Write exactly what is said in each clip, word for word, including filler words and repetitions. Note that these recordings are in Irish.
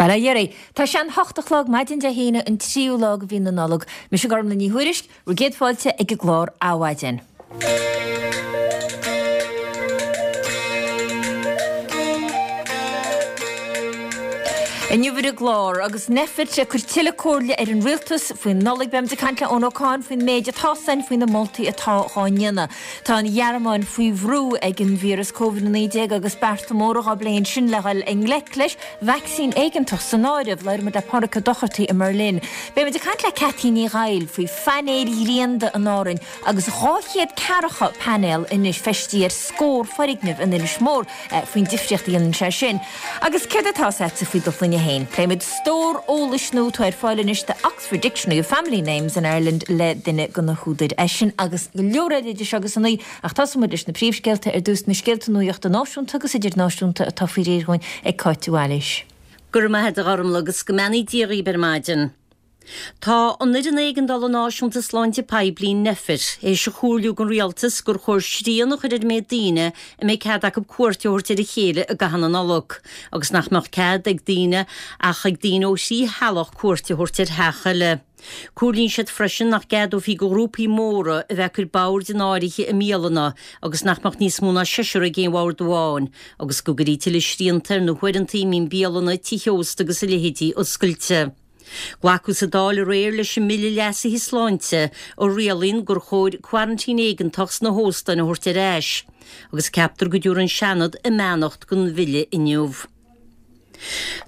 Bail ó Dhia oraibh. Tá sé an hocht a chlog maidin Dé hAoine an tríú lá de mhí na Nollag. Mise Gormlaith Ní Thuairisg, bhur gcéad fáilte ag an gclár Adhmhaidin. Inniu ar an gclár, agus Nphet ag cur tuilleadh comhairle ar an rialtas faoin Nollaig, beimid ag caint le Eoin Ó Cadhain faoin méid atá ann, faoi na moltaí atá dhá ndéanamh. Tá an Ghearmáin faoi bhrú ag an víreas Covid a naoi déag agus bearta móra dhá bplé ansin le dhul i ngleic leis, vacsaín éigeantach san áireamh. Labhróimid le Pádraig Ó Dochartaigh i mBerlin. Beimid ag caint le Cathy Ní Ghaill faoi phainéil ghrianda in Árainn agus dhá chéad ceathracha painéal anois feistithe ar scór foirgneamh in Inis Mór faoin difríocht a dhéanann sé sin. Agus céard atá agatsa faoi do shloinne féin? Pléimid stór eolais nua atá ar fáil anois The Oxford Dictionary of Family Names in Ireland le duine de na húdair. É sin agus go leor eile idir seo agus a naoi ach tosóimid leis na príomhscéalta ar dtús, na scéalta nuachta náisiúnta agus idirnáisiúnta atá faoi réir dhúinn ag Cáit Bhailís. Go raibh maith agat a Ghormlaith agus go mbeannaí Dia dhaoibh ar maidin. Tá an Fhoireann Éigeandála Náisiúnta Sláinte Poiblí, Nphet, théis a chomhairliú don Rialtas gur chóir srian a chur ar an méid daoine a mbeidh cead acu cuairt a thabhairt ar a chéile i gcaitheamh na Nollag agus nach mbeadh cead ag daoine ach ag daoine ó thrí theaghlach cuairt a thabhairt ar theach eile. Comhairlíonn siad freisin nach gceadófaí do ghrúpaí móra a bheith ag cur boird in áirithe i mbialanna agus nach mbeadh níos mó ná seisear ag aon bhord amháin agus go gcuirfí tuilleadh srianta ar na huaireanta a mbíonn bialanna, tithe ósta agus a leithéidí oscailte. Glacadh sa Dáil aréir leis an mBille Leasaithe Sláinte a rialaíonn gur chóir quarantine éigeantach sna hóstáin a thabhairt ar ais agus ceaptar go dtabharfaidh an Seanad a mbeannacht don bhille inniu.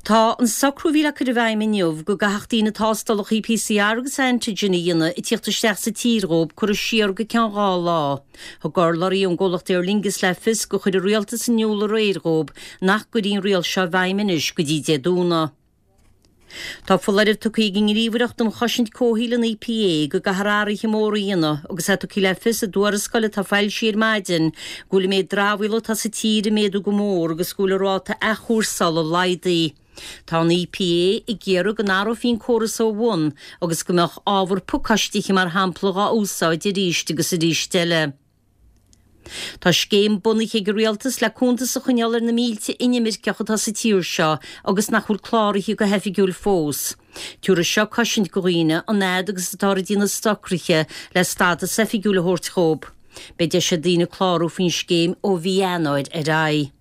Tá an socrú a bhí le cur i bhfeidhm inniu go gcaithfeadh daoine tástálacha PCR agus antigen a dhéanamh ag tíocht isteach sa tír dhóibh curtha siar go ceann dhá lá. Thug urlabhraí ón gcomhlacht Aer Lingus le fios gur chuir an rialtas in iúl aréir dhóibh nach gcuirfí an riail seo i bhfeidhm anois go dtí Dé Domhnaigh. Tá foláireamh tugtha ag an nGníomhaireacht um Chosaint Comhshaoil, an EPA, go gcaithfear athruithe móra a dhéanamh agus é tugtha le fios i dtuarascáil atá foilsithe ar maidin go bhfuil an méid dramhaíola atá sa tír ag méadú go mór agus go bhfuil an ráta athchúrsála laghdaithe. Tá an EPA ag iarraidh go n-athrófaí an córas ó bhun agus go mbeadh ábhar pacáistithe mar shampla dhá úsáid arís agus arís eile. Tá scéim bunaithe ag an Rialtas le cuntas a choinneáil ar na mílte inimirceach atá sa tír seo agus nach bhfuil cláraithe go hoifigiúil fós. Tabharfaidh seo cosaint do dhaoine an fhad agus atáthar ag déanamh socruithe le stádas oifigiúil a thabhairt dhóibh. Beidh deis ag daoine clárú faoin scéim ó mhí Eanáir ar aghaidh.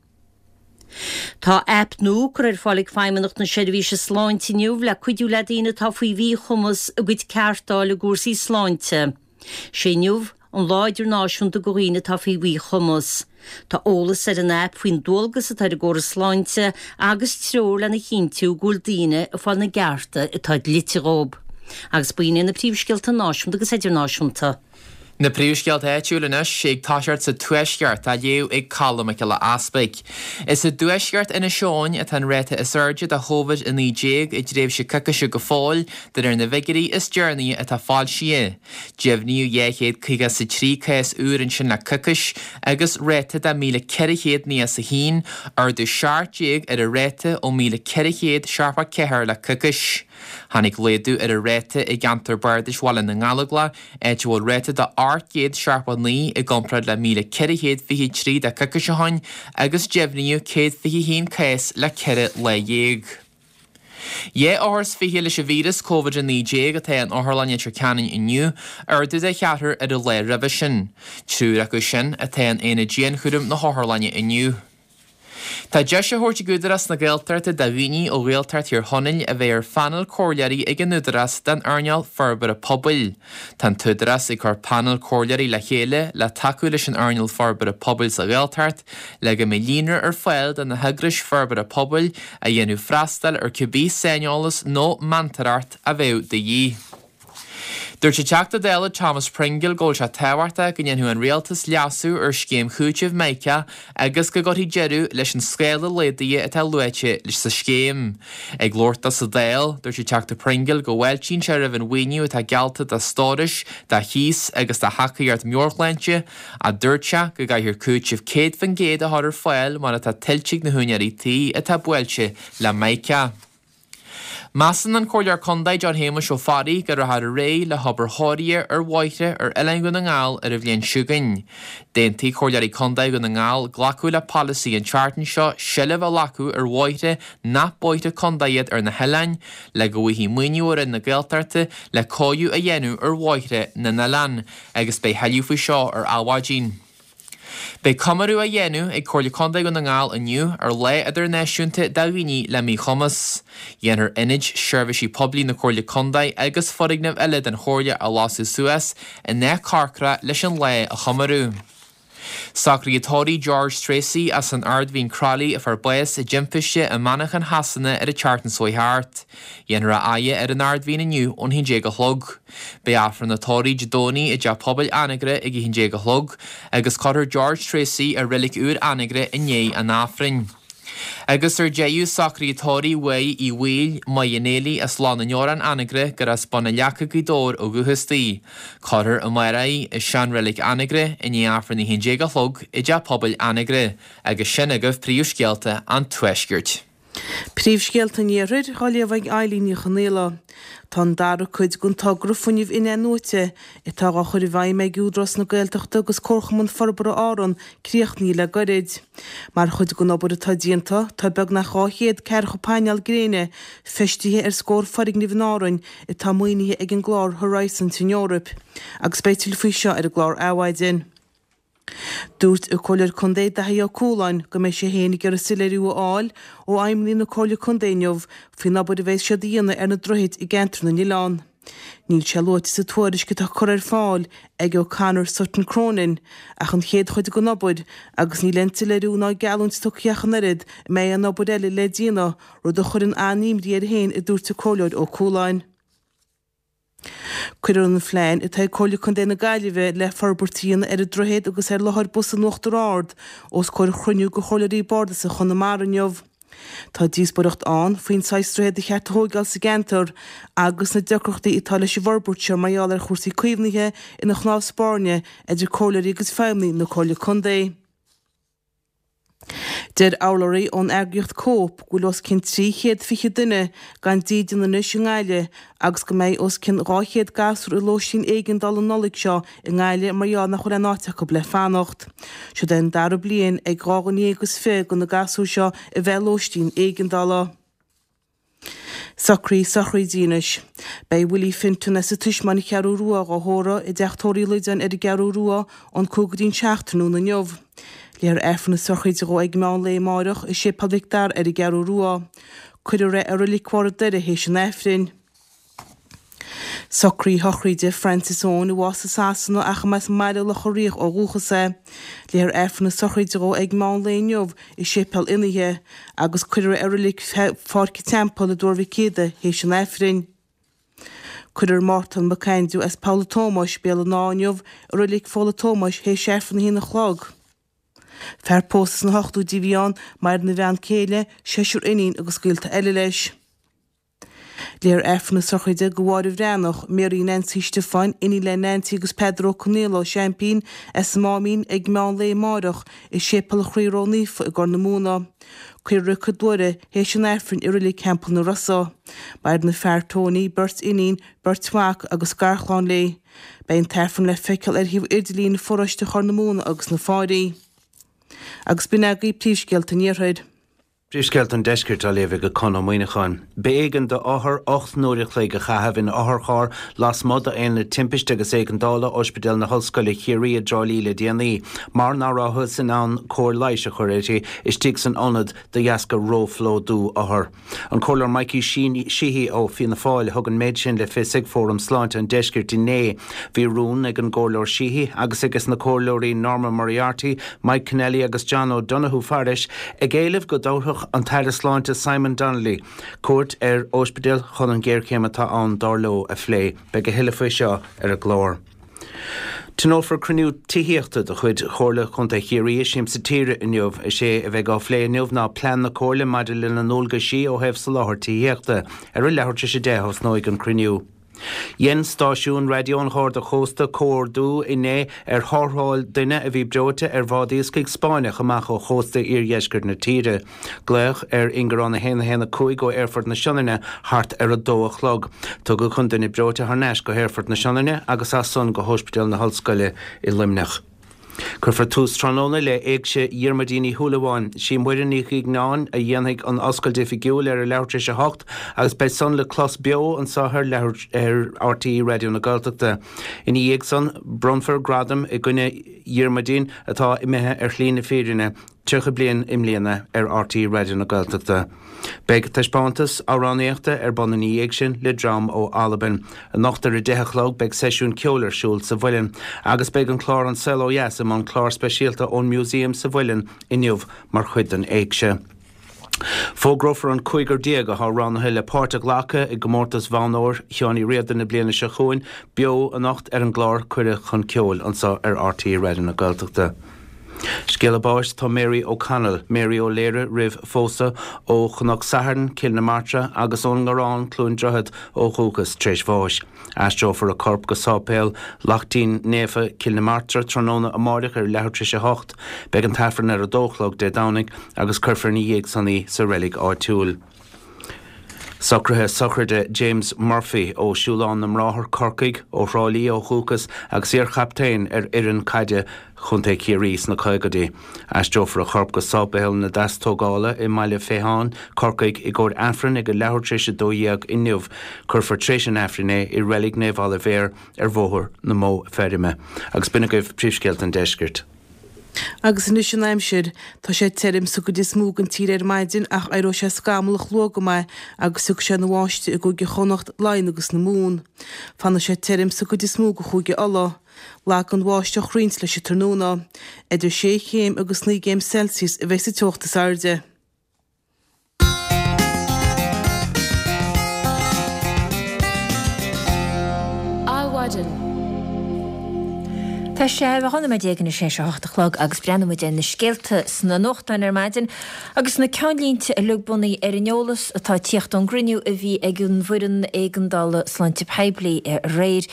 Tá aip nua curtha ar fáil ag Feidhmeannacht na Seirbhíse Sláinte inniu le cuidiú le daoine atá faoi mhíchumas a gcuid ceart a fháil i gcúrsaí sláinte. Sé inniu an Lá Idirnáisiúnta do Dhaoine atá faoi Mhíchumas. Tá eolas ar an aip faoin dualgas atá ar an gcóras sláinte agus treoir lena chinntiú go bhfuil daoine ag fáil na gcearta atá dlite dhóibh. Agus b'in iad na príomhscéalta náisiúnta agus idirnáisiúnta. Na príomhscéalta áitiúil anois, ag toiseacht sa Tuaisceart, á léamh ag Colm Mac Giolla Easpaig. Is i dtuaisceart Inis Eoghain atá an ráta is airde de Chóvid a naoi déag i dtréimhse coicíse go fóill, de réir na bhfigiúirí is deireanaí atá foilsithe. Deimhníodh dhá chéad caoga is a trí cás úr ansin le coicís agus ráta de míle ceithre chéad nócha is a haon, ardú seacht déag ar an ráta ó míle ceithre chéad seachtó ceathair le coicís. Tháinig laghdú ar an ráta i gceantar bardais Bhaile na nGallóglach, áit a bhfuil ráta de ocht gcéad seachtó a naoi i gcomparáid le míle ceithre chéad fiche trí de coicís ó shin agus deimhníodh céad fiche haon cás le ceithre lá dhéag. Dhá othar is fiche leis an víreas Covid a naoi déag atá in Otharlann Leitir Ceanainn inniu, ardú de cheathrar ar an lá roimhe sin. Triúr acu sin atá in aonad dianchúraim na hotharlainne inniu. Tá deis á thabhairt ag Údarás na Gaeltachta do dhaoine ó Ghaeltacht Thír Chonaill a bheith ar phainéal comhairleoirí ag an Údarás don earnáil forbartha pobail. Tá an tÚdarás ag cur painéal comhairleoirí le chéile le tacú leis an earnáil forbartha pobail sa Ghaeltacht le go mbeidh líonra ar fáil do na heagrais forbartha pobail a dhéanfadh freastal ar cibé saineolas nó meantóireacht a bheadh de dhíth. Dúirt an Teachta Dála Thomas Pringle go bhfuil sé tábhachtach go ndéanfadh an Rialtas leasú ar scéim chúitimh Mica agus go gcuirfí deireadh leis an scála laghdaithe atá luaite sa scéim. Ag labhairt dó sa Dáil, dúirt an Teachta Pringle go bhfáiltíonn sé roimh an mhaoiniú atá geallta do stórais, do chíos agus do thacaíocht meabhairshláinte, ach dúirt sé go gcaithfear cúiteamh céad faoin gcéad a chur ar fáil mar atá tuillte ag na húinéirí tí atá buailte le Mica. Measann an Comhairleoir Contae John Shéamuis Ó Fearraigh go rachfar ar aghaidh le hobair chóirithe ar bhóithre ar oileán Dhún na nGall ar an bhliain seo chugainn. D'aontaigh Comhairleoirí Contae Dhún na nGall glacadh le polasaí an tseachtain seo seilbh a ghlacadh ar bhóithre nach bóithre contae iad ar na hoileáin le go bhfaighfí maoiniú ó Roinn na Gaeltachta le cóiriú a dhéanamh ar bhóithre na n-oileán agus beidh tuilleadh faoi seo ar Adhmhaidin. Beidh comóradh á dhéanamh ag Comhairle Contae Dhún na nGall inniu ar Lá Idirnáisiúnta do Dhaoine le Míchumas. Dhéanfar ionaid seirbhísí poiblí na Comhairle Contae agus foirgnimh eile den Chomhairle a lasadh suas i ndath corcra leis an lá a chomóradh. Socruithe tórraimh George Tracy as an Ard Mhín Crolly a fuair bás i dtimpiste i Manchain Shasana ar an tseachtain seo thart. Dhéanfar a fhaire ar an Ard Mhín inniu ón haon déag a chlog. Beidh Aifreann an tórraimh Dé Domhnaigh i dTeach Pobail Anagaire ag a haon déag a chlog agus cuirfear George Tracy i reilig úr Anagaire i ndiaidh an Aifrinn. Agus ar deireadh socruithe tórraimh Mháire Uí Bhaoill, Maigh an Éalaigh as Loch na nDeorán Anagaire gur as Bun an Leaca Gaoth Dobhair ó dhúchas di. Cuirfear amárach í i seanreilig Anagaire i ndiaidh Aifreann a haon déag a chlog i dTeach Pobail Anagaire agus sin agaibh príomhscéalta an Tuaiscirt. Príomhscéalta an Iarthair á léamh ag Eilín Ní Chonaola. Tá an dara cuid den togra fuinnimh in-athnuaite atá á chur i bhfeidhm ag Údarás na Gaeltachta agus Comharchumann Forbartha Árann críochnaithe le gairid. Mar chuid den obair atá déanta, tá beagnach dhá chéad ceathracha painéal gréine feistithe ar scór foirgneamh in Árainn atá maoinithe ag an gclár Horizon san Eoraip, agus beidh tuilleadh faoi seo ar an gclár Adhmhaidin. Dúirt an Comhairleoir Contae Daithí Ó Cualáin go mbeidh sé féin ag iarraidh soiléiriú a fháil ó fheidhmeannaigh na Comhairle Contae inniu faoin obair a bheas siad a dhéanamh ar na droichid i gceantar na n-oileán. Níl sé luaite sa tuairisc atá curtha ar fáil ag O'Connor Sutton Cronin ach an chéad chuid den obair agus níl aon tsoiléiriú ná geallúint tugtha ach an oiread an mbeidh aon obair eile le déanamh, rud a chuireann an-imní air féin a dúirt an Comhairleoir Ó Cualáin. Cuirfear an phlean atá ag Comhairle Contae na Gaillimhe le forbairt a dhéanamh ar an droichead agus ar láthair bus in Uachtar Ard os comhair chruinniú de Chomhairleoirí Bardais Chonamara inniu. Tá díospóireacht ann faoin saghas droichead a cheart a thóigeáil sa gceantar agus na deacrachtaí atá leis an bhforbairt seo mar gheall ar chúrsaí caomhnaithe ina chnámh spairne idir comhairleoirí agus feidhmeannaigh na Comhairle Contae. Deir urlabhraí ón eagraíocht Cope go bhfuil os cionn trí chéad fiche duine gan dídean anois i nGaillimh agus go mbeidh os cionn dhá chéad gasúr i lóistín éigeandála an Nollaig seo i nGaillimh mar gheall nach bhfuil aon áit acu le fanacht. Siod é an dara bliain ag dhá dhuine dhéag is fiche de na gasúir seo a bheith i lóistín éigeandála. Socruithe sochraide anois. Beidh Willie Finton as an Tuismeán Cheathrú Rua dhá thórramh i dTeach Tórraimh Uí Loideáin ar an gCeathrú Rua ón cúig go dtí an seacht tráthnóna inniu. Léifear Aifreann na sochraide dhó ag meán lae amáireach i Séipéal Mhic Dara ar an gCeathrú Rua. Cuirfear é i Reilig Bharr an Doire théis an Aifrinn. Socruithe sochraide Francis Eoin a bhásaigh i Sasana ach a mb'as mBaile Locha Riach ó dhúchas é. Léifear Aifreann na sochraide dhó ag meán lae inniu i Séipéal Fhionnaithe agus cuirfear é i reilig Pháirc an Teampaill i dTuar Mhic Éadaigh théis an Aifrinn. Cuirfear Mártan Mac Aindriú as Poll a' Tómais, Béal an Átha inniu i reilig Pholl a' Tómais théis Aifreann a haon a chlog. Fear pósta sna hochtóidí a bhí ann, maireann a bhean céile, seisear iníon agus gaolta eile leis. Léifear Aifreann na sochraide do Mháire Bhreathnach, Mary Nancy Stiofáin, iníon le Nancy agus Peadar Ó Conaola, Seaimpín, as an Máimín, ag meán lae amáireach i Séipéal an Chroí Ró-Naofa i gCorr na Móna. Cuirfear í chuig Doire théis an Aifrinn i Reilig Theampall na Rosa. Maireann a fear Tony, beirt iníon, beirt mhac agus garchlann léi. Beidh an tAifreann le feiceáil ar shuíomh idirlín pharóiste Chorr na Móna agus na Fáirí. Agus b'in agaibh príomhscéalta an Iarthair. Príomhscéalta an Deiscirt á léamh ag Conn Ó Muíneacháin. B'éigean d'othar ocht n-uair a chloig a chaitheamh in otharcharr lasmuigh d'Aonad Timpiste agus Éigeandála Ospidéal na hOllscoile Chiarraí i dTrá Lí le déanaí mar nach rabhthas in ann cóir leighis a chur uirthi istigh san ionad de dheasca róphlódú othar. An Comhairleoir Mikey Sheehy ó Fianna Fáil a thug an méid sin le fios ag Fóram Sláinte an Deiscirt inné. Bhí rún ag an gComhairleoir Sheehy agus aige na comhairleoirí Norma Moriarty, Mike Kennelly agus John O'Donoghue fairis ag éileamh go dtabharfadh an tAire Sláinte Simon Donnelly cuairt ar ospidéal chun an ghéarchéim atá ann dar leo a phlé. Beidh a thuilleadh faoi seo ar an gclár. Tionólfar cruinniú tithíochta de chuid Chomhairle Contae Chiarraí i Siamsa Tíre inniu. Is é a bheidh á phlé inniu ná plean na Comhairle maidir lena ndualgaisí ó thaobh soláthar tithíochta. Ar a leathuair tar éis a deich a thosnóidh an cruinniú. Dhein stáisiún raidió an Gharda Chósta comhordú inné ar tharrtháil duine a bhí breoite ar bhád iascaigh Spáinneach amach ó chósta iardheisceart na tíre. Glaodh ar ingearán a haon a haon a cúig ó Aerfort na Sionainne thart ar a dó a chlog. Tugadh an duine breoite thar n-ais go hAerfort na Sionainne agus as san go hOspidéal na hOllscoile i Luimneach. Cuirfear tús tráthnóna le Éigse Dhiarmuidín Uí Shúilleabháin. Sí Muireann Ní Dhuigneáin a dhéanfaidh an oscailt oifigiúil ar a leathuair tar éis a hocht agus beidh san le clos beo anseo ar ar RTÉ Raidió na Gaeltachta. Ina dhiaidh san, bronnfar gradam i gcuimhne Dhiarmuidín atá imithe ar shlí na fírinne tríocha bliain i mbliana ar RTÉ Raidió na Gaeltachta. Beidh taispeántas amhránaíochta ar bun ina dhiaidh sin le dream ó Albain. Anocht ar a deich a chlog beidh seisiún ceoil ar siúl sa Mhuileann agus beidh an clár An Saol Ó Dheas i mbun clár speisialta ón Museum sa Mhuileann inniu mar chuid den éigse. Fógrófar an cúigear déag atá roghnaithe le páirt a ghlacadh i gcomórtas Bhonn Óir Sheáin Uí Riada na bliana seo chugainn beo anocht ar an gclár Cuireadh chun Ceoil anseo ar RTÉ Raidió na Gaeltachta. Scéala báis Tá Mary O'Connell, Mary Ó Laoire roimh phósadh ó Chnoc Sathairn, Cill na Martra agus ón nGarrán, Cluain Droichead ó dhúchas tar éis bháis. Aistreofar a corp go Sáipéal Lachtaín Naofa, Cill na Martra tráthnóna amáireach ar leathuair tar éis a hocht. Beidh an t-aifreann ar a dó a chlog Dé Domhnaigh agus cuirfear ina dhiaidh san í sa reilig áitiúil. Socruithe sochraide James Murphy ó Siúlán na mBráthar, Corcaigh, ó Thrá Lí ó dhúchas agus iar-chaptaen ar fhoireann caide Chontae Chiarraí sna caogaidí. Aistreofar a chorp go Sáipéal na Deastógála i mBaile Féitháin, Corcaigh, i gcomhair aifrinn ag a leathuair tar éis a dó dhéag inniu. Cuirfear tar éis an aifrinn é i Reilig Naomh Oilibhéar ar Bhóthar na Mó Feirme. Agus b'in agaibh príomhscéalta an deiscirt. Agus anois an aimsir. Tá sé tirim sa gcuid is mó den tír ar maidin ach éireoidh sé scamallach luath go maith agus tiocfaidh sé ina bháisteach i gCúige Chonnacht, Laighean agus na Mumhan. Fanfaidh sé tirim sa gcuid is mó de Chúige Uladh. Lagfaidh an bháisteach roinnt leis an tráthnóna. Idir sé chéim agus naoi gcéim Celsius a bheidh sa teocht is airde. Adhmhaidin. Tá sé dhá nóiméad déag anois théis a hocht a chlog agus breathnóidh muid ar na scéalta sna nuachtáin ar maidin agus na ceannlínte uilig bunaithe ar an eolas atá ag tíocht ón gcruinniú a bhí ag an bhfoireann éigeandála sláinte poiblí aréir.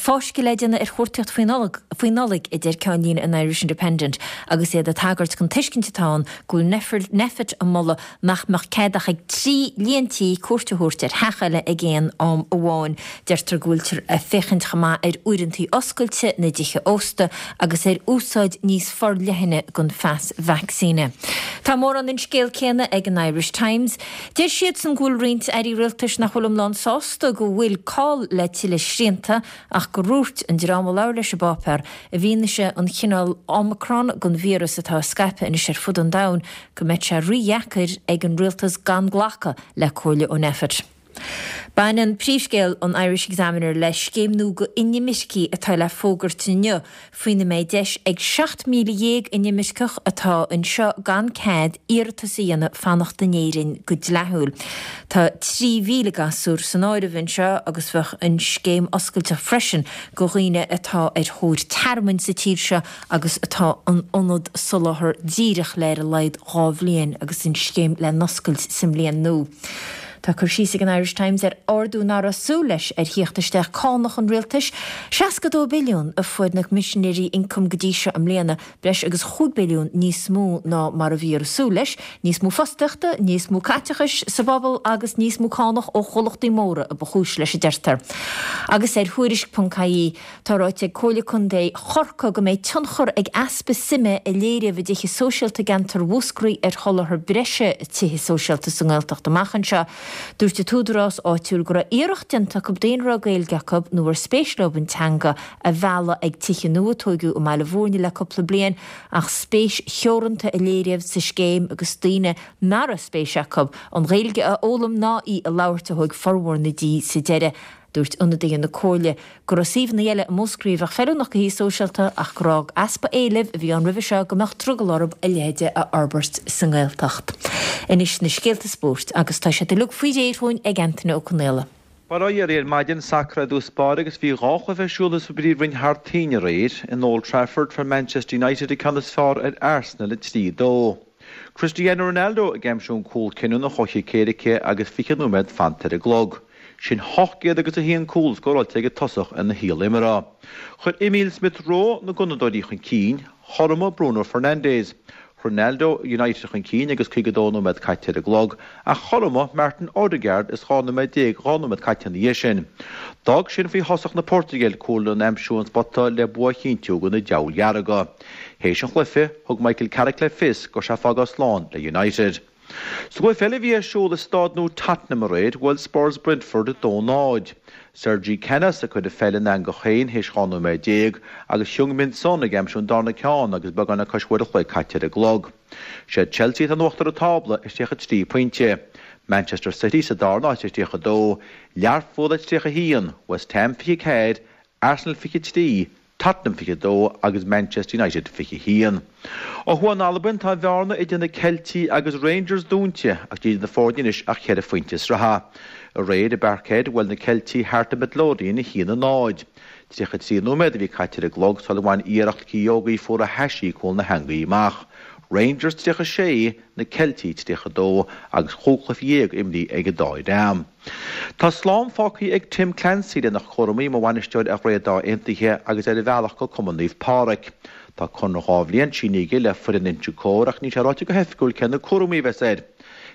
Fáisceadh le déanamh ar chuartaíocht faoi Nollaig, a deir ceannlíne an Irish Independent agus iad ag tagairt don tuiscint atá ann go bhfuil Nphet ag moladh nach mbeadh cead ach ag trí líon tí cuairt a thabhairt ar theach eile ag aon am amháin. Deirtear go bhfuiltear ag féachaint chomh maith ar uaireanta oscailte na dtithe ósta agus ar úsáid níos forleithne den phas vacsaíne. Tá mórán den scéal céanna ag an Irish Times. Deir siadsan go bhfuil roinnt airí rialtais nach bhfuil iomlán sásta go bhfuil call le tuilleadh srianta ach gur dhúirt an dream a labhair leis an bpáipéar i bhfianaise an chineál Omicron den víreas atá ag scaipeadh anois ar fud an domhain go mbeidh sé rídheacair ag an rialtas gan glacadh le comhairle ó Nphet. Baineann príomhscéal an Irish Examiner le scéim nua do inimircigh atá le fógairt inniu, faoina mbeidh deis ag seacht míle dhéag inimirceach atá anseo gan cead iarratas a dhéanamh fanacht in Éirinn go dleathúil. Tá trí mhíle gasúr san áireamh anseo agus bheadh an scéim oscailte freisin do dhaoine atá ar thóir tearmainn sa tír seo agus atá in ionad soláthar díreach le ar a laghad dhá bhliain agus an scéim le n-oscailt sa mbliain nua. Tá cur síos ag an Irish Times ar ardú nach raibh súil leis ar theacht isteach cánach an rialtais, seasca dó billiún a fuair na Coimisinéirí Ioncaim go dtí seo i mbliana, breis agus chúig billiún níos mó ná mar a bhíodh súil leis, níos mó fostaíochta, níos mó caiteachais sa bpobal agus níos mó cánach ó chomhlachtaí móra a ba chúis leis a deirtear. Agus ar Thuairisc ponc ie, tá ráite ag Comhairle Contae Chorcaí go mbeidh tionchar ag easpa suime a léiríodh i dtithe sóisialta i gceantar Mhúscraí ar sholáthar breise tithe sóisialta sa nGaeltacht amach anseo. Dúirt an t-údarás áitiúil go raibh iarracht déanta acu daoine a raibh Gaeilge acu nó ar spéis leo an teanga a mhealladh ag tithe nua a tóigeadh i mBaile Bhúirne le cúpla bliain ach spéis theoranta a léiríodh sa scéim agus daoine nach raibh spéis acu an Ghaeilge a fhoghlaim ná í a labhairt a thóg formhór na dtithe sa deireadh. Dúirt ionadaithe na Comhairle go raibh suíomhanna eile i Múscraí a bheadh feiliúnach do thithe sóisialta ach gur fhág easpa éilimh a bhí ann roimhe seo go mbeadh drogall orthu a leithéide a fhorbairt sa nGaeltacht. Anois na scéalta spóirt agus tá siad uilig faoi réir dhúinn ag Antaine Ó Conaola. Bail ó Dhia oraibh ar maidin, sacar i dtús báire agus bhí dhá chluiche ar siúl sa bPríomhroinn thar toinn aréir. In Old Trafford fuair Manchester United an ceann is fearr ar Arsenal a trí a dó. Cristiano Ronaldo ag aimsiú an cúl cinniúnach ó chic éirice agus fiche nóiméad fanta ar an gclog. Sin ocht gcéad agus a haon cúl scóráilte ag tosach ina shaol imeartha. Chuir Emile Smith Rowe na Gunnadóirí chun cinn, chothromaigh Bruno Fernandes. Ronaldo United chun cinn agus caoga dó nóiméad caite ar an gclog, ach chothromaigh Martin Odegaard is dhá nóiméad déag dhá nóiméad caite ina dhiaidh sin. D'fhág sin faoi thosach na Portaingéile cúl a aimsiú ón spota le bua a chinntiú do na Diabhail Dhearga. Théis an chluiche, thug Michael Carrick le fios go raibh sé ag fágáil slán le United. Sa gcluiche eile a bhí ar siúl i Staid Nua Tottenham aréir, bhuail Spurs Brentford a dó náid. Sergi Canos a chuir an pheil in eangach féin théis dhá nóiméad déag agus Heung-min Son ag aimsiú an darna ceann agus beagán le cois uair a chloig caite ar an gclog. Siad Chelsea atá in uachtar an tábla ar tríocha trí pointe, Manchester City sa darna háit ar tríocha dó, Learpholl ar tríocha a haon, West Ham fiche ceathair, Arsenal fiche trí, Tottenham fiche dó agus Manchester United fiche haon. Ó thuaidh in Albain, tá an bhearna idir na Ceiltigh agus Rangers dúnta ach níl idir na foirne anois ach ceithre phointe sraithe. Aréir i bParkhead, bhuail na Ceiltigh Heart of Midlothian a haon a náid. tríocha trí nóiméad a bhí caite ar an gclog sula bhain iarracht Kyogo Furuhashi cúl na heangaí amach. Rangers tríocha sé, na Ceiltigh tríocha dó agus chúig chluiche dhéag imrithe ag an dá dhream. Tá slán fágtha ag Tim Clancy lena chúraimí mar bhainisteoir ar Ghaoth Dobhair Aontaithe agus ar a bhealach go Cumann Naomh Pádraig. Tá conradh dhá bhliain sínithe aige le foireann Inse Chór ach níl sé ráite go hoifigiúil cé na cúraimí a bheas air.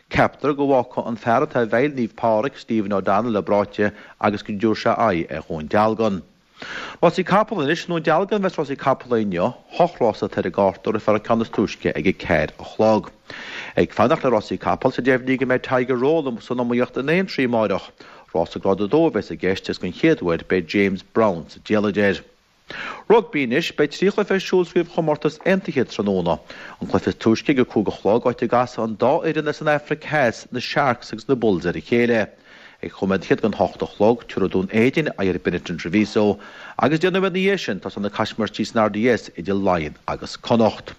Ceaptar go bhfágfaidh an fear atá i bhfeighil Naomh Pádraig, Stephen O'Donnell, a bpráite agus go dtabharfaidh sé aghaidh ar Dhún Dealgan. Rásaí capall anois, i nDún Dealgan a bheas rásaí capall inniu, hocht rás atá ar an gcárta, rithfear an ceann is túisce ag a ceathair a chlog. Ag fanacht le rásaí capall, tá deimhnithe go mbeidh Tiger Roll san iomaíocht in Aintree amáireach. Rás Grád a dó a bheas i gceist agus den chéad uair beidh James Brown sa diallait air. Rugbaí anois, beidh trí chluiche ar siúl sa gcraobhchomórtas aontaithe tráthnóna. An cluiche is túisce ag a cúig a chlog, áit a gcasfaidh an dá fhoireann as an Afraic Theas, na Sharks agus na Bulls ar a chéile. Ag chúig nóiméad fichead don hocht a chlog, tabharfaidh Dún Éideann aghaidh ar Benetton Treviso agus deich nóiméad ina dhiaidh sin, tosóidh na caismirtí san R D S idir Laighin agus Connacht.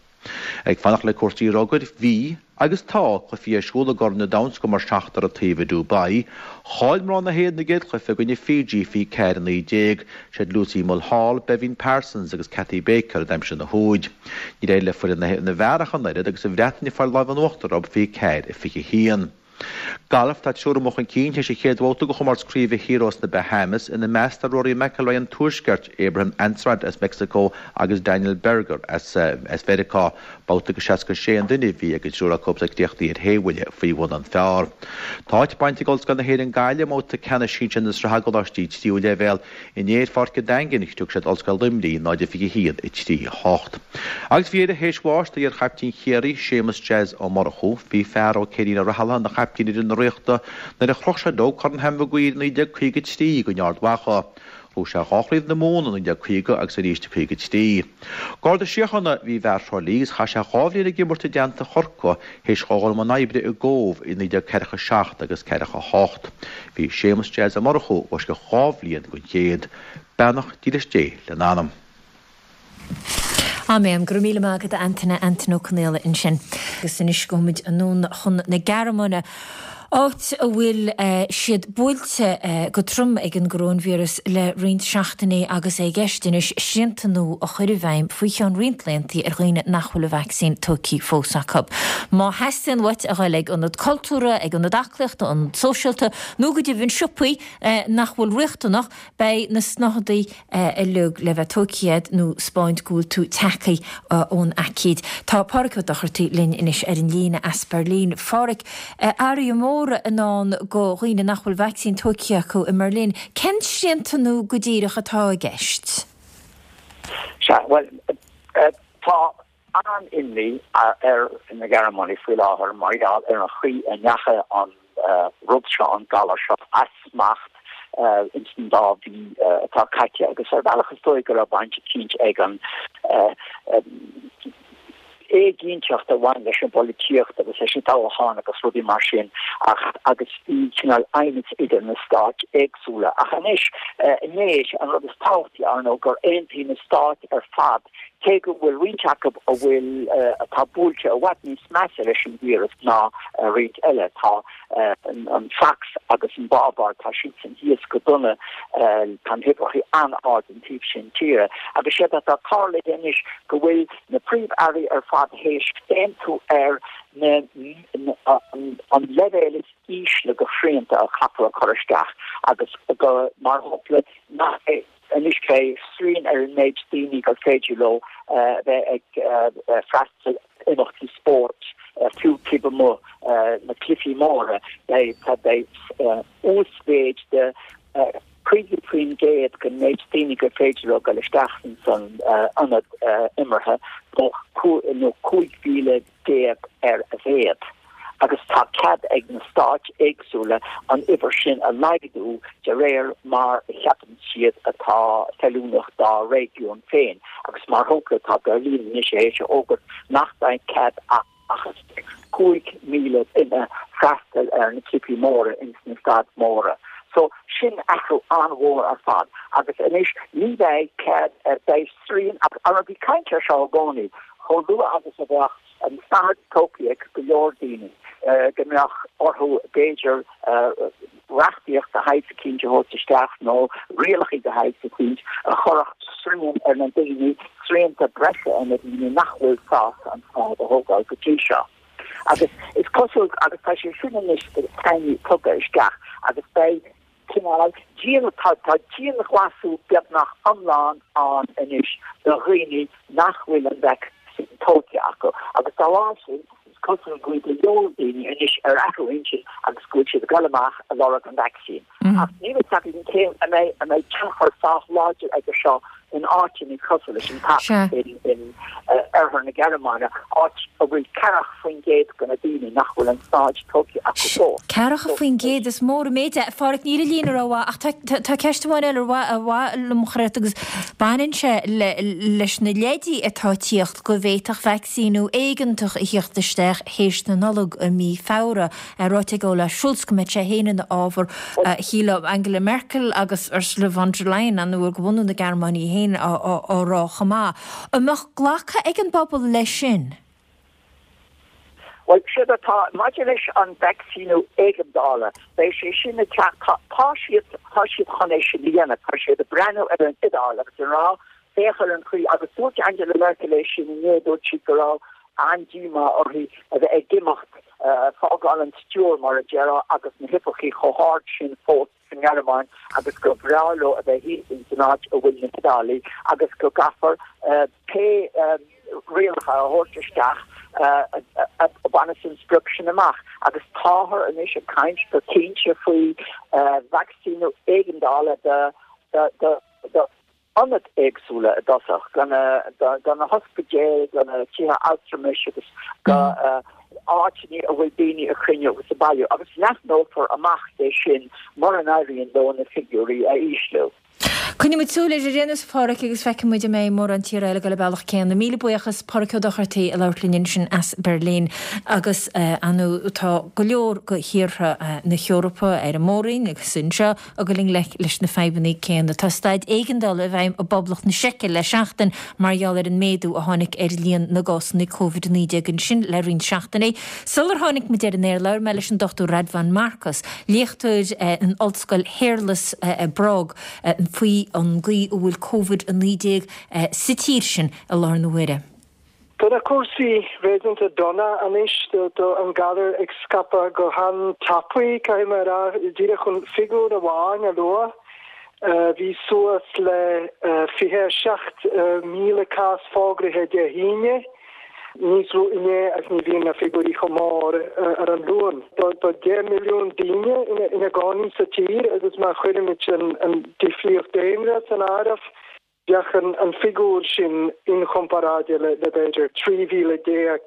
Ag fanacht le cúrsaí rugair, bhí, agus tá, cluichí ar siúl i gCorn an Domhain scór seachtar an taobh i Dubai. Chaill mná na hÉireann a gcéad chluiche i gcoinne Fiji fiche ceathair a naoi déag. Siad Lucy Mulhall, Beibhinn Parsons agus Cathy Baker a d'aimsigh na húid. Níor éirigh le foireann na bhfear ach an oiread agus an Bhreatain ag fáil lámh in uachtar orthu fiche ceathair a fiche haon. Galf, Tá triúr amuigh chun cinn théis an chéad bhabhta de chomórtas craoibhe Hero sna Bahamas, ina measc tá Rory McIlroy an Tuaiscirt, Abraham Ancer as Meicsiceo agus Daniel Berger as Mheiriceá. Babhta de seasca sé an duine a bhí ag an triúr acu is críochnaithe ar shé bhuille faoi bhun an phar. Tá áit bainte ag Ollscoil na hÉireann Gaillimh i mbabhta ceannais sinsir na sraithe gcoláistí tríú leibhéal. Inné ar Pháirc an Daingin, scrios siad Ollscoil Luimnigh, náid a fiche haon, a trí a hocht. Agus faoi dheireadh, théis bháis d'iar-chaiptín Chiarraí, Séamus Jazz Ó Murchú, bhí fear ó Céilín Ó Rathaille ina chaiptín ar fhoireann na Ríochta nuair a chroch sé leo Corn Sam Maguire i naoi déag caoga trí in Ard Mhacha. Bhuaigh sé dhá chraobh na Mumhan i naoi déag caoga agus arís i caoga trí. Garda Síochána a bhí i bhfear Thrá Lí agus chaith sé dhá bhliain ag imirt i dteannta Chorcaí théis dhó dhul i mbun oibre i gCóbh i naoi déag ceathracha seacht agus ceathracha hocht. Bhí Séamus Jazz Ó Murchú os cionn dhá bhliain den chéad. Beannacht dílis Dé lena anam. Áiméan. Go raibh míle maith agat a Antaine, Antaine Ó Conaola ansin. Agus anois gabhfaimid anonn chun na Gearmáine, áit a bhfuil siad buailte go trom ag an gcoróinvíreas le roinnt seachtainí agus é i gceist anois srianta nua a chur i bhfeidhm faoi cheann roinnt laethanta ar dhaoine nach bhfuil an vacsaín tugtha fós acu. Má theastaíonn uait a ghoil ag ionad cultúrtha, ag ionad aclaíochta, ionad sóisialta nó go deimhin siopaí nach bhfuil riachtanach, beidh na snáthaidí uilig le bheith tógtha agat nó 'spáint go bhfuil tú tagtha ón aicíd. Tá Páraic Ó Dochartaigh linn anois ar an líne as Berlin. Páraic, athruithe móra i ndán do dhaoine nach bhfuil vacsaín tógtha acu i mBerlin. Cén srianta nua go díreach atá i gceist? Sea, bhuel, tá an-imní ar na Gearmánaigh faoi láthair mar gheall ar an chaoi a ndeachaigh an rud seo, an galar seo, as smacht ins an dá mhí atá caite agus ar bhealach is dóigh go raibh baint eicínt ag an éiginnteacht a bhain leis an bpolaitíocht agus leis an toghchán agus rudaí mar sin ach agus bhí cineál aighneas idir na stáit éagsúla. Ach anois, inné, an rud is tábhachtaí, ar ndóigh, gur aontaigh na stáit ar fad, cé go bhfuil roinnt acu a bhfuil, atá buailte i bhfad níos measa leis an víreas ná roinnt eile, tá an tSacs agus an Bhaváir, tá siadsan thíos go dona, tá na huimhreacha an-ard an taobh sin tíre. Agus séard atá tarlaithe anois go bhfuil na príomh-airí ar fad théis aontú ar na an leibhéal is ísle de shrianta a chaithfear a chur isteach agus go, mar shampla, nach anois beidh srian ar an méid daoine gur féidir leo bheith ag freastal imeachtaí spóirt, fiú taobh amuigh na cluichí móra, beidh beidh uasmhéid de caoga faoin gcéad den méid daoine gur féidir leo dul isteach san ionad imeartha nó cúig mhíle déag ar a mhéad. Agus tá cead ag na stáit éagsúla an uimhir sin a laghdú de réir mar a cheapann siad atá feiliúnach dá réigiún féin. Agus mar shampla tá Berlin anois théis a fhógairt nach mbeidh cead ach cúig míle duine freastal ar na cluichí móra ins na staid móra. So sin athrú an-mhór ar fad. Agus anois ní bheidh cead, beidh srian, agus bhí caint air seo i gcónaí, chomh luath agus a bheadh an tsnáthaid tógtha ag go leor daoine, go mbeadh orthu b'fhéidir reachtaíocht de shaghas eicínt a thabhairt isteach nó rialacha de shaghas eicínt a chuirfeadh srian ar na daoine, srianta breise ar na daoine nach bhfuil sásta an tsnáthaid a thógáil go dtí seo. Agus is cosúil, agus tá sé sin anois tugtha isteach agus beidh cineál dian, tá dianghlasáil beagnach iomlán ann anois do dhaoine nach bhfuil an vacsaín tógtha acu agus dá bharr sin is cosúil go bhfuil go leor daoine anois ar athrú intinn agus go bhfuil siad ag dul amach ag lorg an vacsaín. Ach níl a fhios againn cé an mbeidh an mbeidh tionchar sách láidir aige seo in áiteanna cosúil leis an tSacs in oirthear na Gearmáine, áit a bhfuil ceathracha faoin gcéad de na daoine nach bhfuil an tsnáthaid tógtha acu fós. Ceathracha faoin gcéad, is mór an méid é. A Pháraic, níl an líne rómhaith ach tá ceist amháin eile ar mhaith liom a chur ort agus baineann sé leis na leidí atá ag tíocht go bhféadfadh vacsaíniú éigeantach a thíocht isteach théis na Nollag i mí Feabhra. Ráite ag Olaf Scholz go mbeadh sé féin ina fhábhar. Shílfeá Angela Merkel agus Ursula von der Leyen an uair de bhunadh na Gearmáine í féin á rá chomh maith. An mbeadh glactha ag an bpobal leis sin? Bhuel, séard atá maidir leis an vacsaíniú éigeandála, beidh sé sin ag teacht, tá siad, tá siad chun é sin a dhéanamh, tá siad ag breathnú ar an Iodáil agus ag rá, féach ar an chaoi, agus dúirt Angela Merkel é sin inné, dúirt sí go raibh an-díomá uirthi a bheith ag imeacht, fágáil an stiúir mar a déarfá agus na huimhreacha chomh hard sin fós sa nGearmáin agus gur bhreá leo a bheith thíos ins an áit a bhfuil na hIodálaigh agus go gcaithfear pé rialacha a thabhairt isteach a bhaineas an sprioc sin amach agus táthar anois ag caint go cinnte faoi vacsaíniú éigeandála do do ionaid éagsúla i dtosach, do na hospidéil, do na tithe altramais agus do áiteanna a bhfuil daoine ag cruinniú agus ag bailiú, agus leathnófar amach é sin mura n-éiríonn leo na figiúirí a ísliú. Coinneoidh muid súil air ar aon nós, a Pháraic, agus feicfidh muid an mbeidh mórán tíortha eile ag dul an bealach céanna. Míle buíochas, Páraic Ó Dochartaigh, ag labhairt linn ansin as Berlin. Agus, ar ndóigh, tá go leor de thíortha na hEorpa ar an mór-roinn agus anseo ag dul i ngleic leis na fadhbanna céanna. Tá staid éigeandála i bhfeidhm i bPoblacht na Seice le seachtain mar gheall ar an méadú a tháinig ar líon na gcásanna Covid a naoi déag ansin le roinnt seachtainí. Sular tháinig muid ar an aer, labhair mé leis an Dochtúir Radvan Markus, léachtóir in Ollscoil Shéarlas i bPrág, faoi an gcaoi a bhfuil Covid a naoi déag sa tír sin i láthair na huaire. Tá na cúrsaí réasúnta dona anois, tá an galar ag scaipeadh go han-tapaidh, caithfidh mé a rá. Díreach chun figiúr amháin a lua, bhí suas le fiche a seacht míle cás fógraithe Dé hAoine, níos lú inné agus ní bhíonn na figiúirí chomh mór ar an Luan. Tá deich milliún daoine ina gcónaí sa tír agus má chuirimid an difríocht daonra san áireamh, Bheadh an figiúr sin inchomparáide le b'fhéidir trí mhíle déag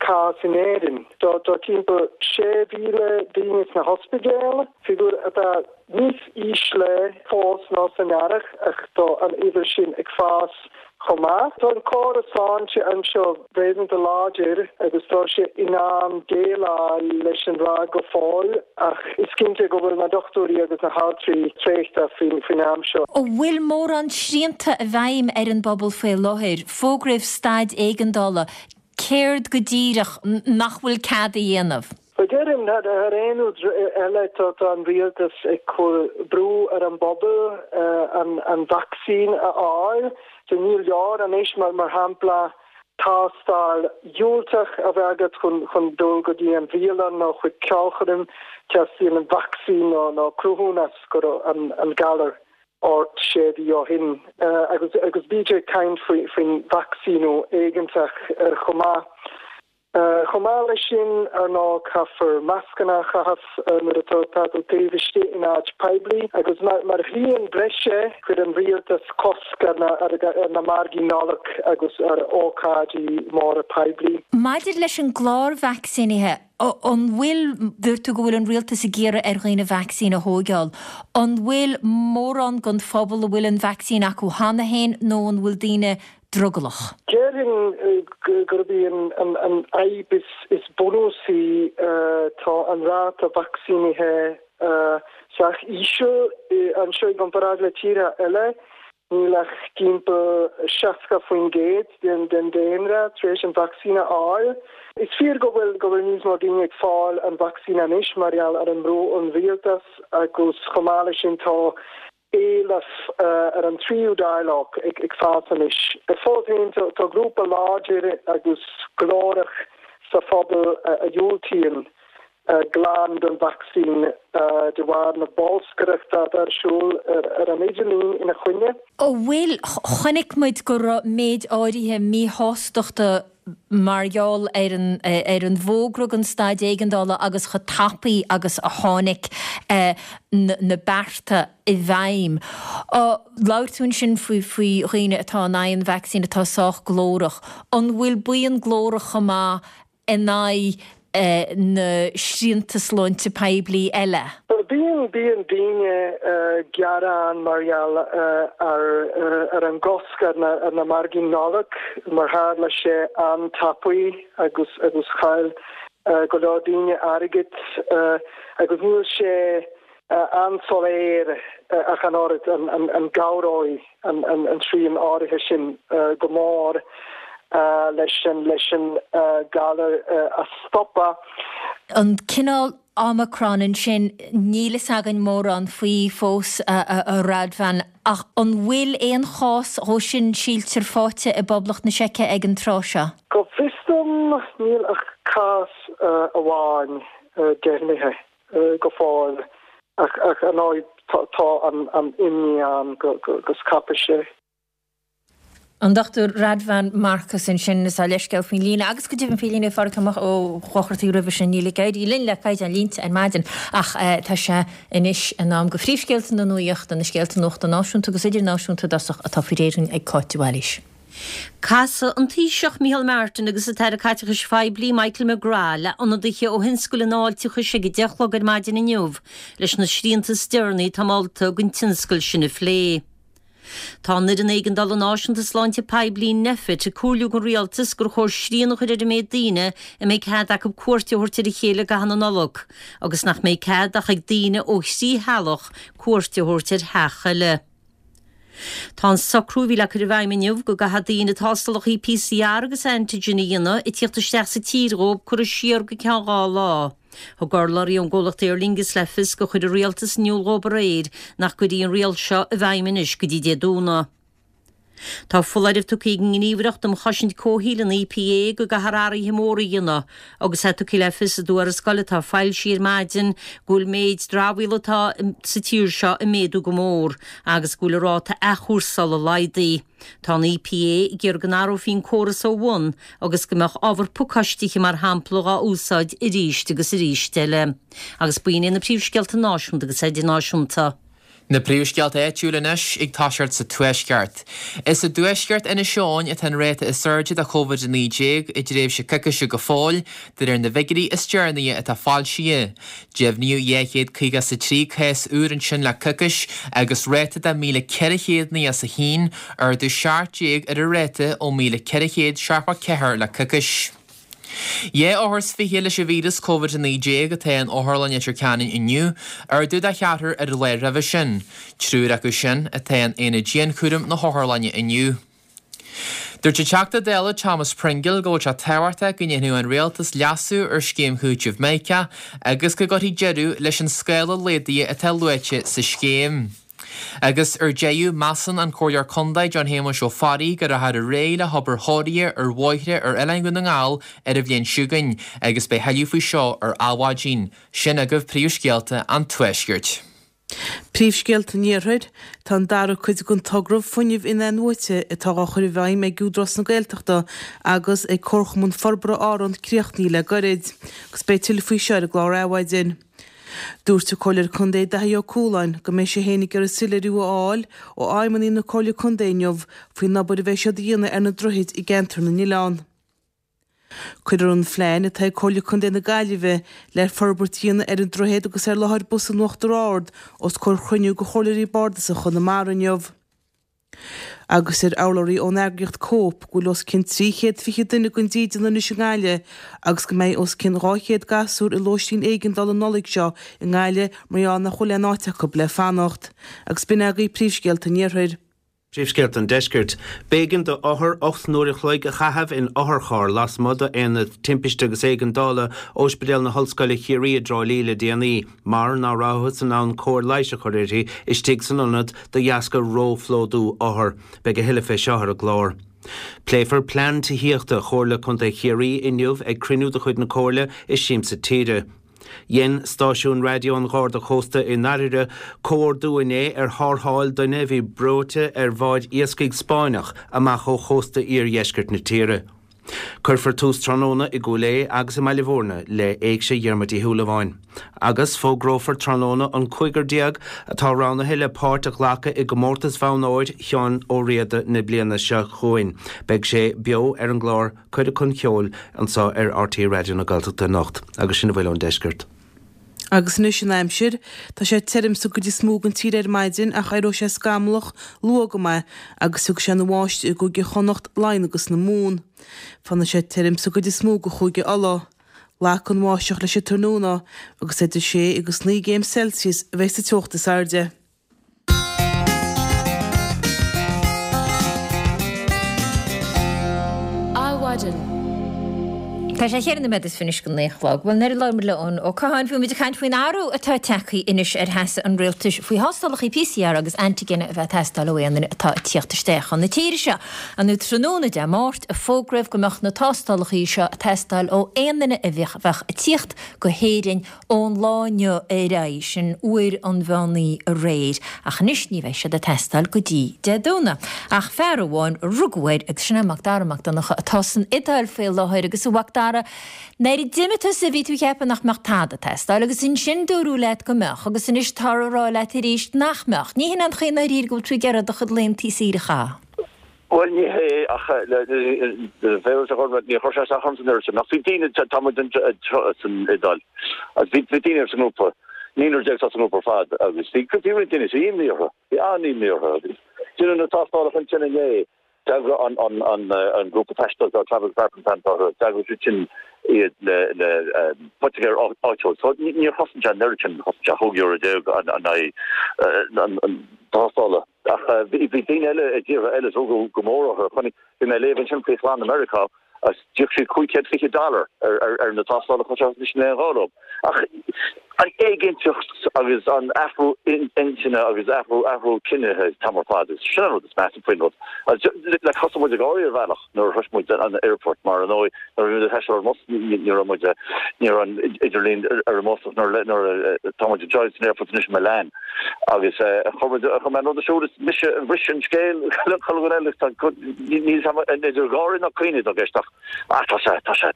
cás in Éirinn. Tá timpeall sé mhíle daoine sna hospidéil, figiúr atá níos ísle fós ná san earrach ach tá an uimhir sin ag fás chomh maith. Tá an córas sláinte anseo réasúnta láidir agus tá sé in ann déileáil leis an ráig go fóill ach is cinnte go bhfuil na dochtúirí agus na haltraí traochta faoin am seo. An bhfuil mórán srianta i bhfeidhm ar an bpobal faoi láthair? Fógraíodh staid éigeandála. Céard go díreach nach bhfuil cead a dhéanamh? Bhuel, déarfainn, thar aon rud eile, tá an rialtas ag cur brú ar an bpobal an vacsaín a fháil. So ní leor anois, mar shampla, tástáil dhiúltach a bheith agat chun chun dul go dtí an bhialann nó chuig ceolchoirm, teastaíonn an vacsaín nó nó cruthúnas go raibh an an galar ort sé mhí ó shin. Agus agus bítear ag caint faoi faoin vacsaíniú éigeantach chomh maith. Chomh maith leis sin, ar ndóigh, caithfear mascanna a chaitheamh nuair atá tú taobh istigh in áit poiblí agus mar shrian breise, chuir an rialtas cosc ar na margaí Nollag agus ar ócáidí móra poiblí. Maidir leis an gclár vacsaínithe, an bhfuil, dúirt tú go bhfuil an rialtas ag iarraidh ar dhaoine vacsaín a thóigeáil, an bhfuil mórán den phobal a bhfuil an vacsaín acu cheana féin nó an bhfuil daoine drogallach? Déarfainn gurb í an fhadhb is bunúsaí, tá an ráta vacsaínithe sách íseal anseo i gcomparáid le tíortha eile. Níl ach timpeall seasca faoin gcéad den daonra tar éis an vacsaín a fháil. Is fíor go bhfuil go bhfuil níos mó daoine ag fáil an vacsaín anois mar gheall ar an mbrú ón rialtas agus chomh maith leis sin tá éileamh ar an tríú dáileog ag fás anois. Fós féin, tá grúpa láidir agus glórach sa phobal a dhiúltaíonn glan don vacsaín de bharr na bolscaireachta atá ar siúl ar an idirlíon ina choinne. An bhfuil, chonaic muid go raibh méid áirithe míshástachta mar gheall ar an ar an bhfógra den staid éigeandála agus chomh tapaidh agus a tháinig na bearta i bhfeidhm. Labhair tú ansin faoi faoi dhaoine atá in aghaidh an vacsaín atá sách glórach. An bhfuil buíon glórach chomh maith in aghaidh na srianta sláinte poiblí eile? Bíonn, bíonn daoine ag gearán mar gheall ar ar an gcosc ar na ar na margaí Nollag mar tharla sé an-tapaidh agus agus chaill go leor daoine airgead agus níl sé an-soiléir ach an oiread an gcabhróidh an srian áirithe sin go mór leis an leis an galar a stopadh. An cineál Omicron ansin, níl fhios againn mórán faoi fós, a Radvan, ach an bhfuil aon chás dhó sin síltear faighte i bPoblacht na Seice ag an tráth seo? Go bhfios dom níl ach cás amháin deimhnithe go fóill ach ar ndóigh tá an imní ann go scaipfidh sé. An Dochtúir Radvan Markus ansin is ár leithscéal faoin líne agus go deimhin faoi líne Phádraig Ó Dochartaigh roimhe sin. Níl ag éirí linn le caighdeán línte ar maidin ach tá sé anois in am go phríomhscéalta na nuachta, na scéalta nuachta náisiúnta agus idirnáisiúnta i dtosach atá faoi réir ag Cáit de Bhailís. Casfaidh an Taoiseach Micheál Martin agus an tAire Caiteachais Phoiblí Michael McGrath le ionadaithe ó thionscal an fháilteachais ag a deich a chlog ar maidin inniu leis na srianta is deireanaí atá molta don tionscal sin a phlé. Tá an Fhoireann Éigeandála Náisiúnta Sláinte Poiblí, Nphet, ag comhairliú don Rialtas gur chóir srian a chur ar an méid daoine a mbeidh cead acu cuairt a thabhairt ar a chéile i gcaitheamh na Nollag agus nach mbeidh cead ach ag daoine ó thrí theaghlach cuairt a thabhairt ar theach eile. Tá an socrú a bhí le cur i bhfeidhm inniu go gcaithfidh daoine tástálacha PCR agus antigen a dhéanamh ag tíocht isteach sa tír dhóibh curtha siar go ceann dhá lá. Thug urlabhraí ón gcomhlacht Aer Lingus le fios gur chuir an rialtas in iúl dhóibh aréir nach gcuirfí an riail seo i bhfeidhm anois go dtí Dé Domhnaigh. Tá foláireamh tugtha ag an nGníomhaireacht um Chosaint Comhshaoil, an EPA, go gcaithfear athruithe móra a dhéanamh agus é tugtha le fios i dtuarascáil atá foilsithe ar maidin go bhfuil méid dramhaíola atá sa tír seo ag méadú go mór agus go bhfuil an ráta athchúrsála laghdaithe. Tá an EPA ag iarraidh go n-athrófaí an córas ó bhun agus go mbeadh ábhar pacáistithe mar shampla dhá úsáid arís agus arís eile. Agus b'in iad na príomhscéalta náisiúnta agus idirnáisiúnta. Na príomhscéalta áitiúla anois ag toiseacht sa Tuaisceart. Is i dtuaisceart Inis Eoghain atá an ráta is airde de Covid a naoi déag i dtréimhse coicíse go fóill, de réir na bhfigiúirí is deireanaí atá foilsithe. Deimhníodh dhá chéad caoga is a trí cás úr ansin le coicís agus ráta de míle ceithre chéad naocha is a haon, ardú seacht déag ar an ráta ó míle ceithre chéad seachtó ceathair le coicís. Dhá othar is fiche leis an víreas Covid a naoi déag atá in Otharlann Leitir Ceanainn inniu, ardú de cheathrar ar an lá roimhe sin. Triúr acu sin atá in aonad dianchúraim na hotharlainne inniu. Dúirt an Teachta Dála Thomas Pringle go bhfuil sé tábhachtach go ndéanfadh an Rialtas leasú ar scéim chúitimh Mica agus go gcuirfí deireadh leis an scála laghdaithe atá luaite sa scéim. Agus ar deireadh, measann an Comhairleoir Contae John Shéamuis Ó Fearraigh go rachfar ar aghaidh le hobair chóirithe ar bhóithre ar Oileán Dhún na nGall ar an bhliain seo chugainn agus beidh thuilleadh faoi seo ar Adhmhaidin. Sin agaibh príomhscéalta an Tuaiscirt. Príomhscéalta an Iarthair, Tá an dara cuid den togra fuinnimh in-athnuaite atá á chur i bhfeidhm ag Údarás na Gaeltachta agus ag Comharchumann Forbartha Árann críochnaithe le gairid, agus beidh tuilleadh faoi seo ar an gclár Adhmhaidin. Dúirt an Comhairleoir Contae Daithí Ó Cualáin go mbeidh sé féin ag iarraidh soiléiriú a fháil ó fheidhmeannaigh na Comhairle Contae inniu faoin obair a bheidh siad a dhéanamh ar na droichid i gceantar na n-oileán. Cuirfear an phlean atá ag Comhairle Contae na Gaillimhe le forbairt a dhéanamh ar an droichead agus ar láthair bus in Uachtar Ard os comhair chruinniú de Chomhairleoirí Bardasacha Chonamara inniu. Agus deir urlabhraí ón eagraíocht Cope go bhfuil os cionn trí chéad fiche duine gan dídean anois i nGaillimh agus go mbeidh os cionn dhá chéad gasúr i lóistín éigeandála an Nollaig seo i nGaillimh mar gheall nach bhfuil aon áit acu le fanacht. Agus b'in agaibh príomhscéalta an Iarthair. Príomhscéalta an Deiscirt. B'éigean do othar ocht n-uair a chloig a chaitheamh in otharcharr lasmuigh d'Aonad Timpiste agus Éigeandála Ospidéal na hOllscoile Chiarraí i dTrá Lí le déanaí mar ná rabhthas in ann cóir leighis a chur uirthi istigh san ionad de dheasca róphlódú othar. Beidh a thuilleadh fé seo ar an gclár. Pléifear plean tithíochta Chomhairle Contae Chiarraí inniu ag cruinniú de chuid na Comhairle i Siamsa Tíre. Dhein stáisiún raidió an Gharda Chósta i nDairire comhordú inné ar tharrtháil duine a bhí breoite ar bhád iascaigh Spáinneach amach ó chósta iardheisceart na tíre. Cuirfear tús tráthnóna i gCúil Aodha agus i mBaile Bhúirne le Éigse Dhiarmuid Uí Shúilleabháin. Agus fógrófar tráthnóna an cúigear déag atá roghnaithe le páirt a ghlacadh i gcomórtas Bhonn Óir Sheáin Ó Riada na bliana seo chugainn. Beidh sé beo ar an gclár Cuireadh chun Ceoil anseo ar RTÉ Raidió na Gaeltachta anocht. Agus sin a bhfuil ón deisceart. Agus anois an aimsir. Tá sé tirim sa gcuid is mó den tír ar maidin ach éireoidh sé scamallach luath go maith agus tiocfaidh sé ina bháisteach i gCúige Chonnacht, Laighean agus na Mumhan. Fanfaidh sé tirim sa gcuid is mó de Chúige Uladh. Lagfaidh an bháisteach leis an tráthnóna agus idir sé agus naoi gcéim Celsius a bheidh sa teocht is airde. Adhmhaidin. Tá sé cheithre nóiméad is fiche anois go naoi a chlog. Bhuel, nuair a labhair muid le Eoin Ó Catháin, bhí muid ag caint faoin athrú atá tagtha anois ar sheasamh an rialtais faoi thástálacha PCR agus antigine a bheith ag teastáil ó aon duine atá ag tíocht isteach chun na tíre seo. An tráthnóna Dé Máirt a fógraíodh go mbeadh na tástálacha seo ag teastáil ó aon duine a bheadh ag tíocht go hÉirinn ón lá inniu ar aghaidh, sin uair an mheán oíche aréir, ach anois ní bheidh siad ag teastáil go dtí Dé Domhnaigh. Ach fear amháin a rugadh air agus sin é Macdara Mac Donncha atá san Iodáil faoi láthair agus a Mhacdara, nuair a d'imigh tusa bhí tú ag ceapadh nach mbeadh tada ag teastáil agus ansin dúradh leat go mbeadh agus anois táthar ag rá leat arís nach mbeadh. Ní hin an chaoi i ndáiríre go bhfuil tú ag iarraidh do chuid laethanta saoire a chaitheamh. Bhuel, ní hé, ach bheadh níor chuir sé isteach ormsa an oiread sin. Ach bhí daoine, tá muid san Iodáil, agus bhí daoine sa ngrúpa, naonúr déag atá sa ngrúpa ar fad, agus bhí bhí roinnt daoine, bhí imní orthu, bhí an-imní orthu. Deineadh na tástálacha ansin inné, d'eagraigh an an an an grúpa taistil, Travel Department an t-orthu, d'eagraigh siad sin iad le le poitigéir áitiúil. So níor chosain sé an oiread sin, chosain sé chúig euro déag in aghaidh an tástála. Ach bhí daoine eile i dtíortha eile a rugadh go mór orthu. Chonaic, bhí mé ag léamh ansin faoi chlann i Meiriceá agus d'íoc siad cúig chéad fiche dollar ar na tástálacha seo agus níl aon ghá leo. Ach an éiginnteacht agus an athrú intinne agus athrú athrú cinnithe an t-am ar fad, sin an rud is measa faoin rud. Like thosaigh muid ag gáirí ar bhealach nuair a shrois muid an airport mar ar ndóigh nuair a bhí muid ag taisteal ar an mbus ní raibh muid ní raibh an idirlíon ar an mbus ach nuair nuair tá muid anseo san airport anois i Milan agus chuir muid chuir mé an rud ar siúl is mise a bhris an scéal le chuile dhuine eile tá níl an idir gháirí ná caoineadh i gceist ach ah tá sé tá sé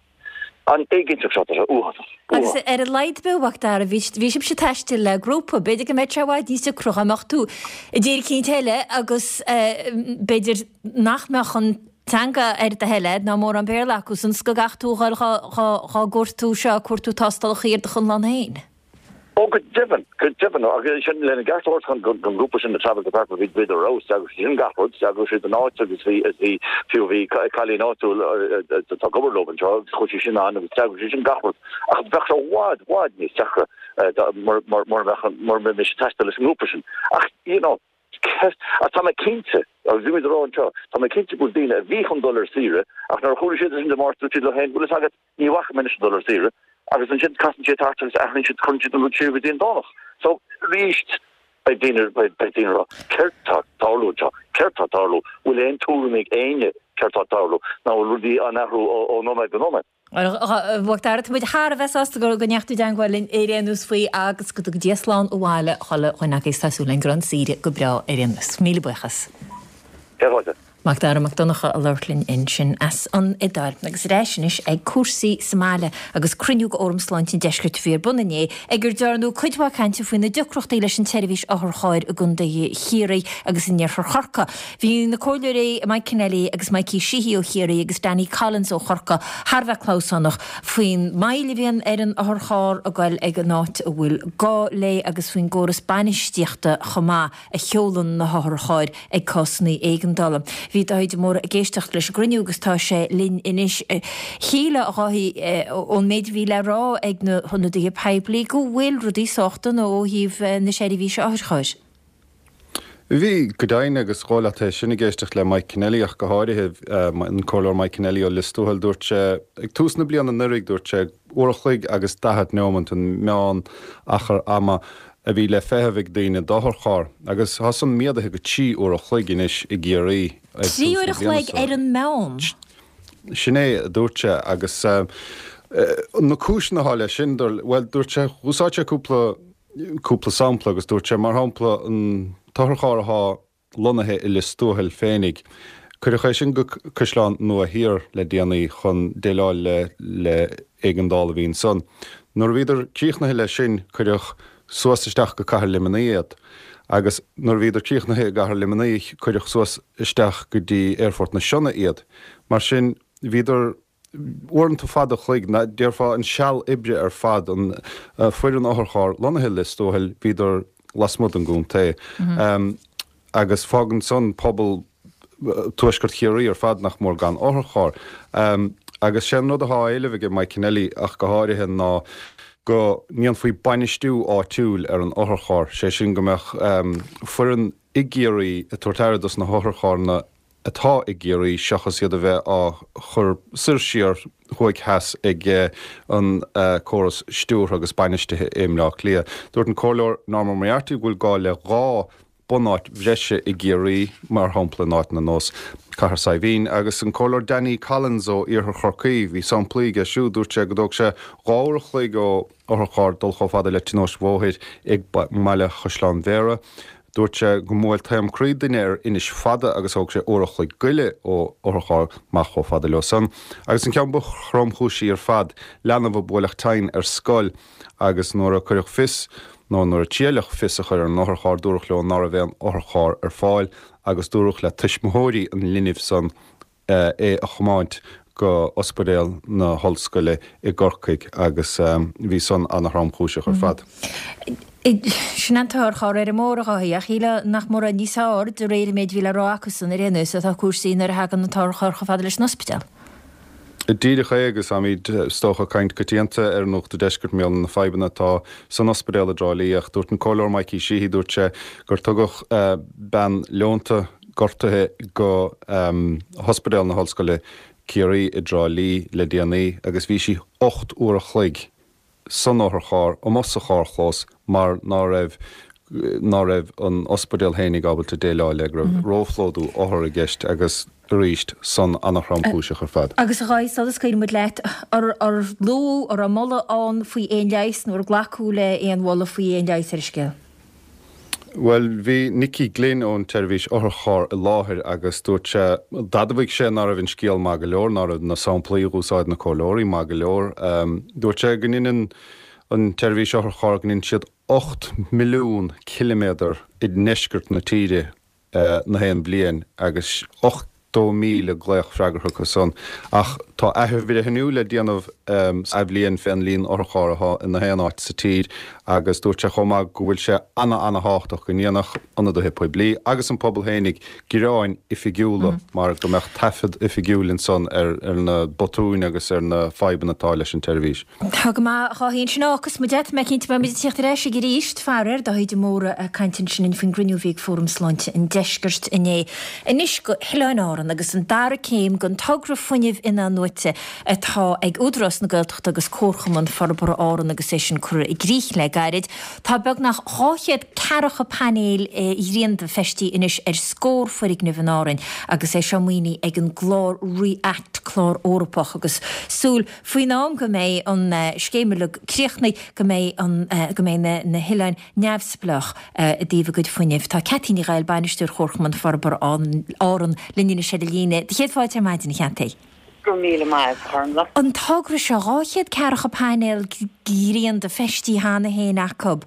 an éiginnteacht seo tá sé uafásach. Agus ar a laghad a Mhacdara, bhí bhí sibhse ag taisteal le grúpa, b'fhéidir go mbeadh sé i bhfad níos deacra dá mbeadh tú i dtír eicínt eile agus b'fhéidir nach mbeadh an teanga ar do thoil a'd ná mórán Béarla acu san 's go gcaithfeadh tú a dhul dhá gcuartú seo, cuartú tástálacha ar do chonlán féin. Ó go deimhin, go deimhin, agus sin lena gceart a thabhairt don don ghrúpa sin, na Travel Department, bhí bhíodar ar fheabhas, d'eagraigh siad sin gach rud, d'eagraigh siad an áit agus bhí is bhí fiú bhí cailín áitiúil atá ag obair leo anseo agus chuaigh sí sin ann agus d'eagraigh sí sin gach rud ach bheadh sé i bhfad, bhfad níos deacra mura mura mbeadh mura mbeimis ag taisteal leis an ngrúpa sin ach you know ach tá mé cinnte agus bhí muid ag rá anseo, tá mé cinnte go bhfuil daoine a bhí chun dul ar saoire ach nuair a chuala siad sin Dé Máirt dúirt siad leo féin, bhfuil fhios agat, Ní bhacfaidh mé anois ag dul ar saoire agus ansin casann siad thart agus athraíonn siad, cuireann siad an rud siar go dtí an Domhnach. So, arís, Beidh daoine, beidh daoine ag rá, céard tá ag tarlú anseo? Céard tá ag tarlú? Bhfuil aon tuairim ag éinne céard tá ag tarlú? Nó bhfuil rudaí á n-athrú ó nóiméad go nóiméad? A Mhac Dara, tá muid thar a bheith sásta go ndeachaigh tú i dteangmháil linn ar aon nós faoi agus go dtuga Dia slán abhaile chuile dhuine agaibh. Tá súil againn go raibh an saoire go breá ar aon nós. Míle buíochas. Céad fáilte. Mac Dara Mac Donncha a labhairt linn ansin as an Iodáil. Agus ar ais anois ag cúrsaí sa mbaile agus cruinniú de Fhóram Sláinte an Deiscirt a bhí ar bun inné ag ar dearnadh cuid mhaith cainte faoi na deacrachtaí leis an tseirbhís otharchairr i gContae Chiarraí agus in iarthar Chorcaí. Bhí na comhairleoirí Mike Kennelly agus Mikey Sheehy ó Chiarraí agus Danny Collins ó Chorcaigh thar a bheith clamhsánach faoin moill a bhíonn ar an otharcharr ag goil ag an áit a bhfuil gá léi agus faoin gcóras bainistíochta chomh maith a sheolann na hotharchairr ag cásanna éigeandála. Bhí Dáithí de Mórdha ag éisteacht leis an gcruinniú agus tá sé linn anois. Shílfeá, a Dháithí, ón méid a bhí le rá ag na hionadaithe poiblí go bhfuil rudaí sách dona ó thaobh na seirbhíse otharchairr. Bhí, go deimhin, agus dhóigh leat é sin ag éisteacht le Mike Kennelly ach go háirithe, an Comhairleoir Mike Kennelly ó Lios Tuathail, dúirt sé ag tús na bliana anuraidh, dúirt sé uair a chloig agus daichead neomant an meán achar ama a bhí le feitheamh ag daoine d'otharcharr, agus tá san méadaithe go trí uair a chloig anois i gCiarraí ag Trí tús uair na a bliana chloig seo. ar an meán? Sin é, a dúirt sé, agus na cúiseanna atá leis sin, bhuel, dúirt sé, úsáid sé cúpla, cúpla sampla agus dúirt sé, mar shampla, an t-otharcharr atá lonnaithe i Lios Tuathail féinig. Cuireadh é sin go Caisleán Nua Thiar le déanaí chun déileáil le le éigeandáil a bhí ansan. Nuair a bhíodar críochnaithe leis sin cuireadh suas isteach go Cathair Luimnigh iad agus nuair a bhíodar críochnaithe i gCathair Luimnigh cuireadh suas isteach go dtí Aerfort na Sionna iad. Mar sin bhíodar uaireanta fada an chloig, déarfá an seal oibre ar fad, an foireann otharchairr lonnaithe i Lios Tuathail, bhíodar lasmuigh den gcontae. Agus fágann san pobal Tuaisceart Chiarraí ar fad nach mór gan otharcharr. Agus sé an rud atá á éileamh aige Mike Kennelly ach go háirithe ná go ndéanfaí bainistiú áitiúil ar an otharcharr, sé sin go mbeadh foireann i gCiarraí ag tabhairt aire dos na hotharcharranna atá i gCiarraí seachas iad a bheith á chur soir siar, thuaidh theas ag an córas stiúrtha agus bainistithe i mBleá Cliath. Dúirt an Comhairleoir Norma Moriarty go bhfuil gá le dhá bunáit bhreise i gCiarraí, mar shampla in áiteanna ar nós Cathair Saidhbhín. Agus an Comhairleoir Danny Collins ó Iarthar Chorcaí, bhí samplaí aige siúd, dúirt sé go dtóg sé dhá uair a chloig ó otharcharr dul chomh fada le tionóisc bhóthair ag mbaile Chaisleán Bhéarra. Dúirt sé go mbuail taom croí duine ar Inis Fada agus thóg sé uair a chloig go leith ó otharcharr amach chomh fada leo san. Agus an ceann ba thromchúisí ar fad, leanbh a buaileadh tinn ar scoil agus nuair a cuireadh fios, nó nuair a triaileadh fios a chur ar an otharcharr, dúradh leo ná raibh aon otharcharr ar fáil agus dúradh le tuismitheoirí an linbh san é a chomáint go Ospidéal na hOllscoile i gCorcaigh agus bhí san ana-thromchúiseach ar fad. Sin an t-otharcharr ar an mbóthar, a Dháithí, ach shílfeá nach mór níos fearr de réir an méid a bhí le rá acusan ar aon nós atá cúrsaí nuair a thagann an t-otharcharr chomh fada leis an ospidéal. Díreach é agus táimid, is dócha, ag caint coitianta ar Nuacht an Deiscirt mar gheall ar na fadhbanna atá san ospidéal i dTrá Lí ach dúirt an Comhairleoir Mikey Sheehy, dúirt sé gur tugadh bean leonta gortaithe go hOspidéal na hOllscoile Ciarraí i dTrá Lí le déanaí agus bhí sí ocht uair a chloig san otharcharr amuigh sa charrchlós mar ná raibh ná raibh an ospidéal fhéinig ábalta déileáil le, go raibh róphlódú othar i gceist agus arís san ana-thromchúiseach ar fad. Agus a Dháithí, sula scaoileann muid leat, ar ar luadh, an raibh moladh ann faoi aon leigheas nó ar glacadh le aon mholadh faoi aon leigheas ar an scéal? Bhuel, bhí Nicky Glynn ón tseirbhís otharcharr i láthair agus dúirt sé, d'admhaigh sé ná raibh an scéal maith go leor, ná raibh na samplaí a dh'úsáid na comhairleoirí maith go leor. Dúirt sé go ndeineann an tseirbhís otharcharr, go ndeineann siad ocht milliún ciliméadar i ndeisceart na tíre na haon bhliain agus ochtó míle glaoch freagartha acu san. Ach tá athbhreithniú le déanamh sa athbhliain fén líon otharcharr atá i na haon áit sa tír agus dúirt sé chomh maith go bhfuil sé ana-ana-thábhachtach go ndéanfadh ionadaithe poiblí agus an pobal fhéinig gearáin oifigiúla mar go mbeadh taifead oifigiúil ansan ar na botúin agus ar na fadhbanna atá leis an tseirbhís. Tá go maith, a Dháithí, ansin fágfas muid é. Tá mé cinnte beidh muid ag tíocht ar ais chuige arís. Faraor, Dáithí de Mórdha ag caint ansin faoin gcruinniú a bhí ag Fóram Sláinte an Deiscirt inné. Anois go hOileáin Árann. Árann agus an dara céim den togra fuinnimh in-athnuaite atá ag Údarás na Gaeltachta agus Comharchumann Forbartha Árann agus é sin curtha i gcrích le gairid. Tá beagnach dhá chéad ceathracha painéil ghrianda feistithe anois ar scór foirgneamh in Árainn agus é seo maoinithe ag an gclár REACT, clár Eorpach, agus súil faoin am go mbeidh an scéim uilig críochnaithe go mbeidh an go mbeidh na hoileáin neamhspleách i dtaobh a gcuid fuinnimh. Tá Ceaití Ní Ghaill, Bainisteoir Chomharchumann Forbartha Árann, linn anois ar an líne. Do chéad fáilte ar maidin, a Cheaití. Go raibh míle maith, a Ghormlaith. An togra seo, dhá chéad ceathracha painéal grianda feistithe cheana féin acu.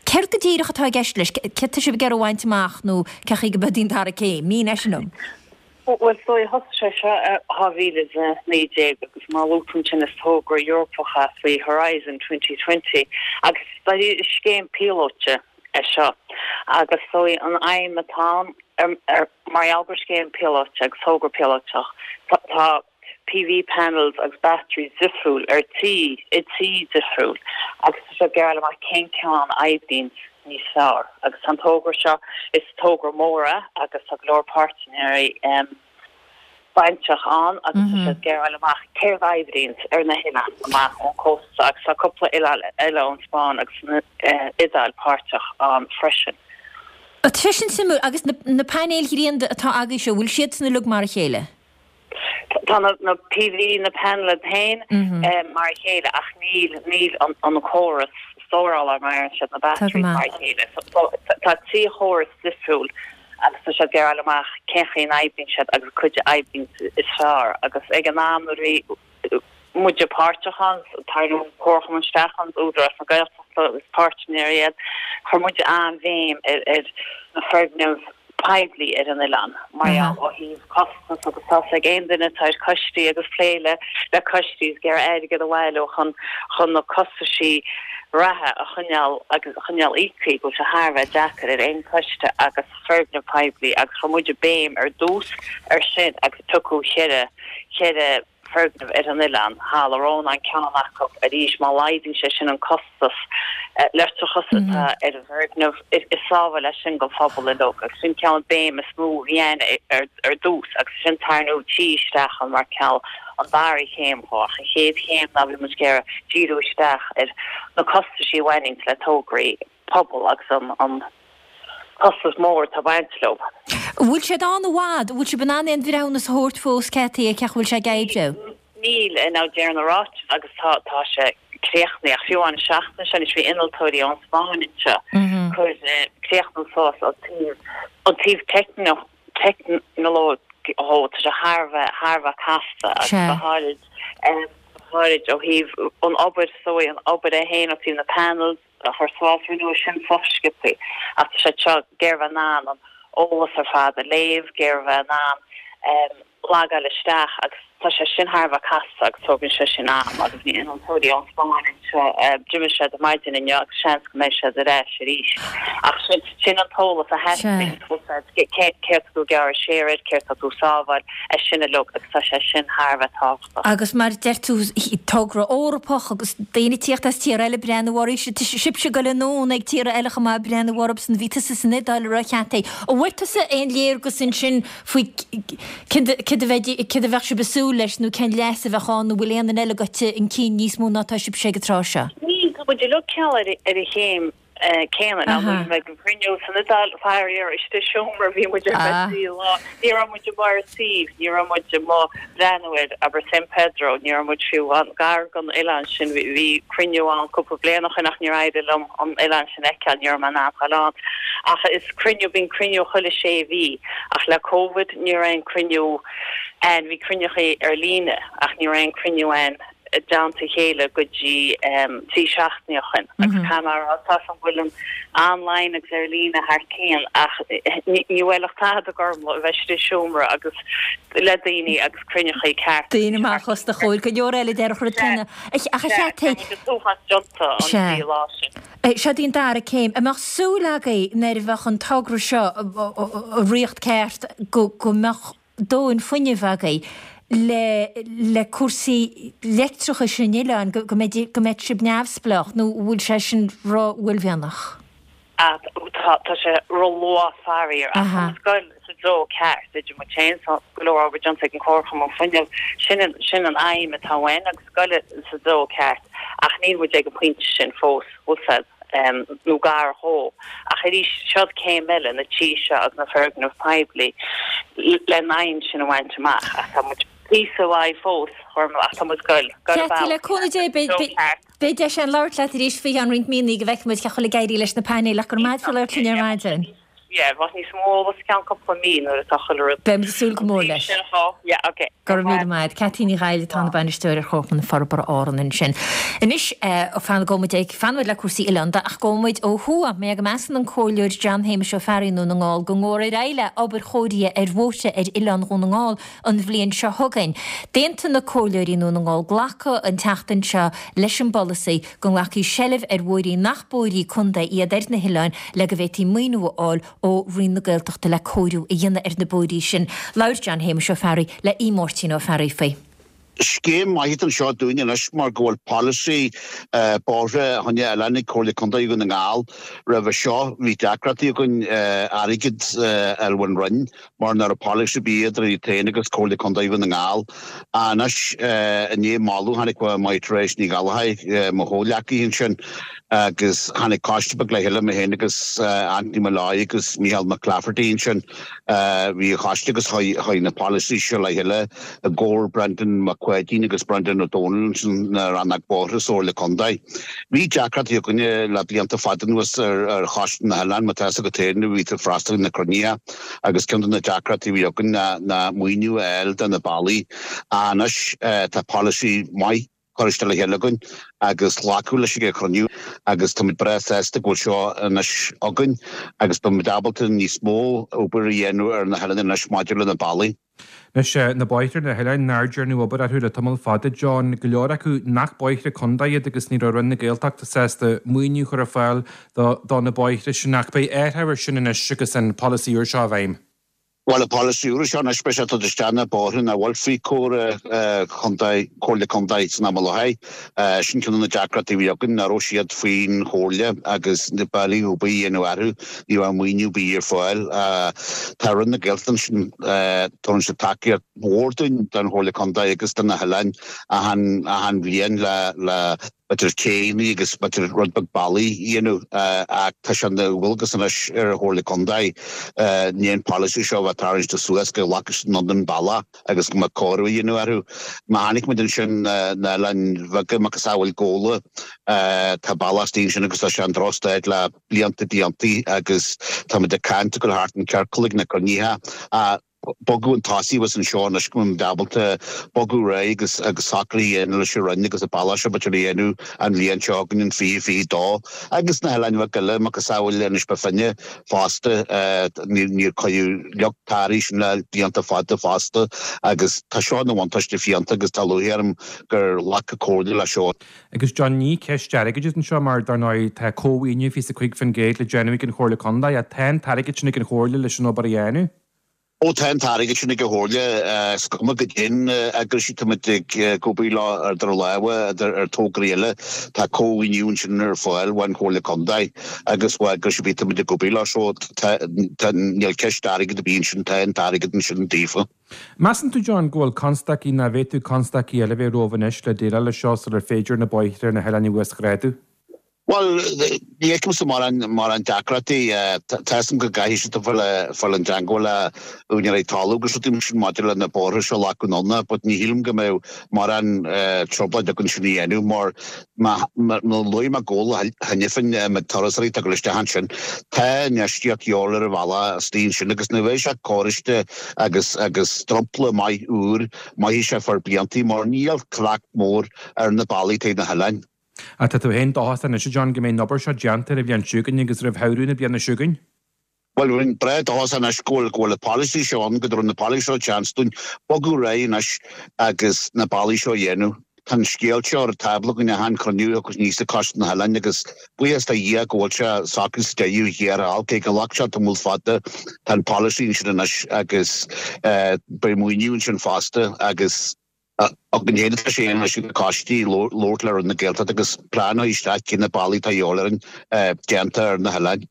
Céard go díreach atá i gceist leis? Céard tá sibh ag iarraidh a bhaint amach nó cén chaoi go mbeidh an dara céim? Mínigh sin dom. Bhuel, is dóigh, thosaigh sé seo i dhá mhíle is a naoi déag agus mar a luaigh tú ansin is togra Eorpach é faoi Horizon twenty twenty agus is scéim píolóite é seo agus is dóigh an aidhm atá ann mar gheall gur scéim píolóite agus togra píolóiteach tá PV panels agus batteries difriúil ar tí i tí difriúil agus tá siad ag iarraidh fháil amach cén ceann a oibríonn níos fearr agus tá an togra seo is togra mór é agus tá go leor páirtnéirí bainteach ann agus tá siad ag iarraidh fháil amach céard a oibríonn ar na hoileáin amach ón cósta agus tá cúpla oileán eile ón Spáinn agus an Iodáil páirteach ann freisin. Tá sé sin suimiúil agus na painéil ghrianda atá agaibhse, bhfuil siadsan uilig mar a chéile? Tá na PV, na panels féin mar a chéile ach níl, níl an córas stórála mar a deireann siad, na batteries mar a chéile. So tá trí chóras difriúil agus tá siad ag iarraidh fháil amach cén chaoi a n-oibríonn siad agus cad a oibríonn is fearr agus ag an am nuair a bhí muide páirteach ann, tarraing an Comharchumann isteach ann, Údarás na Gaeltachta is páirtnéirí iad, chuir muide an-bhéim ar ar na foirgnimh poiblí ar an oileán mar gheall ó thaobh costas agus tá 's ag aon duine atá ar choistí agus plé le le coistí is ag iarraidh airgead a bhailiú chun chun na costaisí reatha a choinneáil agus a choinneáil íoctha go bhfuil sé thar a bheith deacair ar aon choiste agus foirgneamh poiblí agus chuir muide béim ar dtús ar sin agus piocadh cheithre cheithre foirgneamh ar an oileán, Halla Rónáin ceann acu, arís má laghdaíonn sé sin an costas leictreachas atá ar an bhfoirgneamh, is sábháil é sin don phobal uilig agus sin ceann an béim is mó a bhí ann ar dtús agus ansin tarraingeadh tí isteach ann mar cineál an dara chéim dhó ach an chéad chéim ná bhí muid ag iarraidh díriú isteach ar na costaisí a bhaineann le tograí pobail agus an costas mór atá ag baint leo. An bhfuil siad ann i bhfad? An bhfuil sibh in ann aon bhreithiúnas a thabhairt fós Ceaití ar cén chaoi a bhfuil sé ag oibriú? Níl, now deir na ráitis agus tá tá sé críochnaithe ach fiú amháin an seachtain seo anois bhí innealtóirí ón Spáinn anseo ag cur críochnú suas an taobh an taobh teicneach teicneolaíoch dhó tá sé thar a bheith thar a bheith casta agus go háirid go háirid ó thaobh an obair so an obair é féin ó thaobh na panels a chur suas rinneadh sin sách sciobtha ach tá siad seo ag iarraidh bheith in ann an eolas ar fad a léamh, ag iarraidh bheith in ann logáil isteach agus tá sé sin thar a bheith casta agus tógann sé sin am agus bhí innealtóirí ón Spáinn anseo, d'imigh siad ar maidin inniu agus seans go mbeidh siad ar ais arís ach sin sin an t-eolas a theastaíonn, céard tá tú ag gearradh siar air, céard tá tú ag sábháil, é sin uilig agus tá sé sin thar a bheith tábhachtach. Agus mar a deir tú, togra Eorpach agus daoine ag tíocht as tíortha eile ag breathnú oraibh, tá sibhse ag dul anonn ag tíortha eile chomh maith ag breathnú orthusan, bhí tusa san Iodáil a Cheaití. An bhfuair tusa aon léargas ansin faoi céard a bheadh sibh ag súil leis nó cén leas a bheadh ann nó bhfuil aon duine eile gaibhte chun cinn níos mó ná atá sibhse ag an tráth seo? Níl, tá muid uilig cineál ar an chéim céanna. Now nuair a bhí mé ag an gcruinniú san Iodáil, faraor, istigh i seomra bhí muid ar feadh trí lá. Ní raibh muid amuigh ar an suíomh, ní raibh muid amuigh ag breathnú ar, abair, San Pedro, ní raibh muid fiú gar don oileán sin. Bhí cruinniú ann cúpla bliain ó shin ach níor éirigh liom an oileán sin a fheiceáil, ní raibh mé in ann dul ann. Ach is cruinniú, bíonn cruinniú chuile sé mhí ach le Covid ní raibh aon cruinniú ann, bhí cruinneachaí ar líne ach ní raibh aon cruinniú ann. i dteannta a chéile go dtí trí seachtainí ó shin agus caithfidh mé a rá tá 's agam go bhfuil an online agus ar líne thar cionn ach ní bhuailfeadh tada Gormlaith a bheith istigh i seomra agus le daoine agus cruinneachaí ceart. Daoine amach os do chomhair, go leor eile déarfadh rud céanna. Ach a Cheaití. Tá muid an t-uafás déanta an trí lá sin. Seo í an dara céim. An mbeadh súil agaibh nuair a bheadh an togra seo i riocht ceart go mbeadh dóthain fuinnimh agaibh le le cúrsaí leictreachais an oileáin, go mbeidh go mbeidh sibh neamhspleách nó an bhfuil sé sin ró-uaillmhianach? Tá tá sé ró-luath faraor ach tá muid ag goil sa dtreo ceart idir muid féin tá go leor obair déanta ag an Chomharchumann Fuinnimh sin an sin an aidhm atá uainn agus goil sa dtreo ceart ach níl muid ag an pointe sin fós bhfuil um, nó gar dhó ach arís seod céim eile na tithe seo agus na foirgnimh poiblí len aidhm sin a bhaint amach ach tá muid píosa uaidh fós ach tá muid goil Ceart le cúnamh Dé beidh deis againn labhairt leat arís faoi cheann roinnt míonna go bhfeicfidh muid cén chaoi a bhfuil ag éirí leis na painéil ach go raibh maith agat labhairt linn ar maidin. Yeah, bheadh níos mó eolas ceann cúpla mí nuair atá chuile rud. Beidh muid ag súil go mór leis. Yeah, okay. Go raibh míle maith. Ceaití Ní Ghaill atá ina bainisteoir ar Chomharchumann Forbartha Árann ansin. Anois fan go muid ag fanfaidh muid le cúrsaí oileánda ach gabhfaidh muid ó thuaidh. Mé go measann an Comhairleoir John Shéamuis Ó Fearraigh i nDún na nGall go ngabhfar ar aghaidh le obair chóirithe ar bhóithre ar oileán Dhún na nGall an bhliain seo chugainn. D'aontaigh na comhairleoirí i nDún na nGall glacadh an tseachtain seo leis an bpolasaí go nglacfaí seilbh ar bhóithrí nach bóithrí contae iad ar na hoileáin le go bhféadfaí maoiniú a fháil ó Roinn na Gaeltachta le cóiriú a dhéanamh ar na bóithrí sin. Labhair John Shéamuis Ó Fearraigh le Aodh Máirtín Ó Fearraigh faoi. Scéim maith anseo dúinn anois mar go bhfuil polasaí bóithre fá choinne oileáin ag Comhairle Contae Dhún na nGall. Roimhe seo bhí deacrachtaí againn airgead a fháil ón Roinn mar nach raibh polasaí ar bith idir iad féin agus Comhairle Contae Dhún na nGall. Anois i ndiaidh moladh tháinig Máire Therese Ní Ghallchóir, mo chomhghleacaí ansin, agus tháinig coiste beag le chéile, mé féin agus Anthony Molloy agus Micheál McClafferty ansin. Bhí an choiste agus chuaigh na polasaí seo le chéile i gcomhair Brendan Mac Pháidín agus Brendan O'Donnell ansin na rannóg bóithre sa Chomhairle Contae. Bhí deacrachtaí againne le blianta fada anuas ar choiste na hoileán, má tá fhios agat féin, bhí tú ag freastal ar na cruinnithe agus ceann de na deacrachtaí a bhí againn ná maoiniú a fháil do na bealaí. Anois tá polasaí maith curtha isteach le chéile againn agus glacadh leis ag an chruinniú agus táimid breá sásta go bhfuil seo anois againn agus beimid ábalta níos mó obair a dhéanamh ar na hoileáin anois maidir le na bealaí. Anois, na bóithre ar na hoileáin nár dearnadh obair orthu le tamall fada, John, go leor acu nach bóithre contae iad agus ní raibh Roinn na Gaeltachta sásta maoiniú a chur ar fáil do na bóithre sin ach beidh athrú air sin anois agus an polasaí úr seo i bhfeidhm. Bhuel, an polasaí úr seo anois, beidh sé ag dul isteach na bóithre nach bhfuil faoi chúram chontae, Comhairle Contae san am i láthair. Sin ceann de na deacrachtaí a bhí againn, nach raibh siad faoin Chomhairle agus na bealaí ar bith a dhéanamh orthu, ní raibh maoiniú ar bith ar fáil. Tá Roinn na Gaeltachta ansin, tugann siad tacaíocht mhór dúinn don Chomhairle Contae agus do na hoileáin achan, achan bhliain le, le, b'fhéidir céanna agus b'fhéidir rud beag bealaí a dhéanamh ach tá sé ina dhualgas anois ar an Chomhairle Contae i ndiaidh an polasaí seo a bheith tarraingte suas go nglacfaidh siad anonn an bealach agus go mbeadh cóiriú a dhéanamh orthu. Má chonaic muid ansin na oileáin bheaga macasamhail Gabhla tá bealach istigh ansin agus tá sé i ndrochstaid le blianta blianta agus tá muid ag caint ag dul thart an ciorcal ag na cruinnithe bogadh chun tosaigh a bheas anseo anois go mbeimid ábalta bogadh ar aghaidh agus agus socruithe a dhéanamh leis an Roinn agus an bealach seo b'fhéidir a dhéanamh an bhliain seo chugainn in fiche fiche dó agus na hoileáin bheaga eile macasamhail Inis Bó Finne fosta níor cuireadh leac tar ansin le blianta fada fosta agus tá seo ina bhuntáiste fiúntach agus tá lúcháir orm gur ghlac an Chomhairle leis seo. Agus John, ní ceist airgid é anseo mar dar ndóigh tá cómhaoiniú fiche is a cúig faoin gcéad le déanamh ag an Chomhairle Contae ach tá an t-airgead sin ag an Chomhairle leis an obair a dhéanamh. Ó tá an t-airgead sin ag an Chomhairle, is cuma goidé na heagrais tá muid ag obair leo idir lámha ar tograí eile. Tá cómhaoiniú ansin ar fáil ón Chomhairle Contae agus ó eagrais ar bith tá muid ag obair leo so tá níl ceist airgid ar bith ansin, tá an t-airgead ansin daofa. Measann tú, John, go bhfuil constaicí nó an bhféadfadh constaicí eile bheith romhaibh anois le déileáil leis seo sular féidir na bóithre ar na hoileáin a uasghrádú? Bhuel, ní fheicimse mórán mórán deacrachtaí. Tá fhios agam go gcaithfidh siad a fáil i dteangmháil le úinéirí talaimh agus rudaí mar sin maidir le na bóithre seo a ghlacadh anonn, but ní shílim go mbeadh mórán trioblóid againn sin a dhéanamh mar má luaigh mé Gabhla cheana féin na turasóirí atá ag dul isteach ansin, tá infheistíocht de dhíobháil ar an bhealach istigh ansin agus nuair a bheidh sé cóiriste agus agus dromchla maith úr, mairfidh sé for bliantaí mar níl trácht mór ar na bealaí taobh na hoileáin. Ach tá tú féin dóchasach anois, a John, go mbeidh an obair seo déanta ar an bhliain seo chugainn agus roimh shamhradh na bliana seo chugainn? Bhuel, bheinn breá dóchasach anois go bhfuil go bhfuil an polasaí seo ann, go dtabharfaidh an polasaí seo chance dúinn bogadh ar aghaidh anois agus na bealaí seo a dhéanamh. Tá an scéal seo ar an tábla againn achan chruinniú a thiocfas aníos ag Coiste na nOileán agus buíochas do Dhia go bhfuil sé socraithe sa deireadh thiar thall, cé gur ghlac sé tamall fada, tá an polasaí ansin anois agus beidh maoiniú ansin fosta agus Againn féin atá sé anois ag na coistí labhairt le Roinn na Gaeltachta agus plean a chur isteach cé na bealaí atá de dhíobháil orainn déanta ar na hoileáin.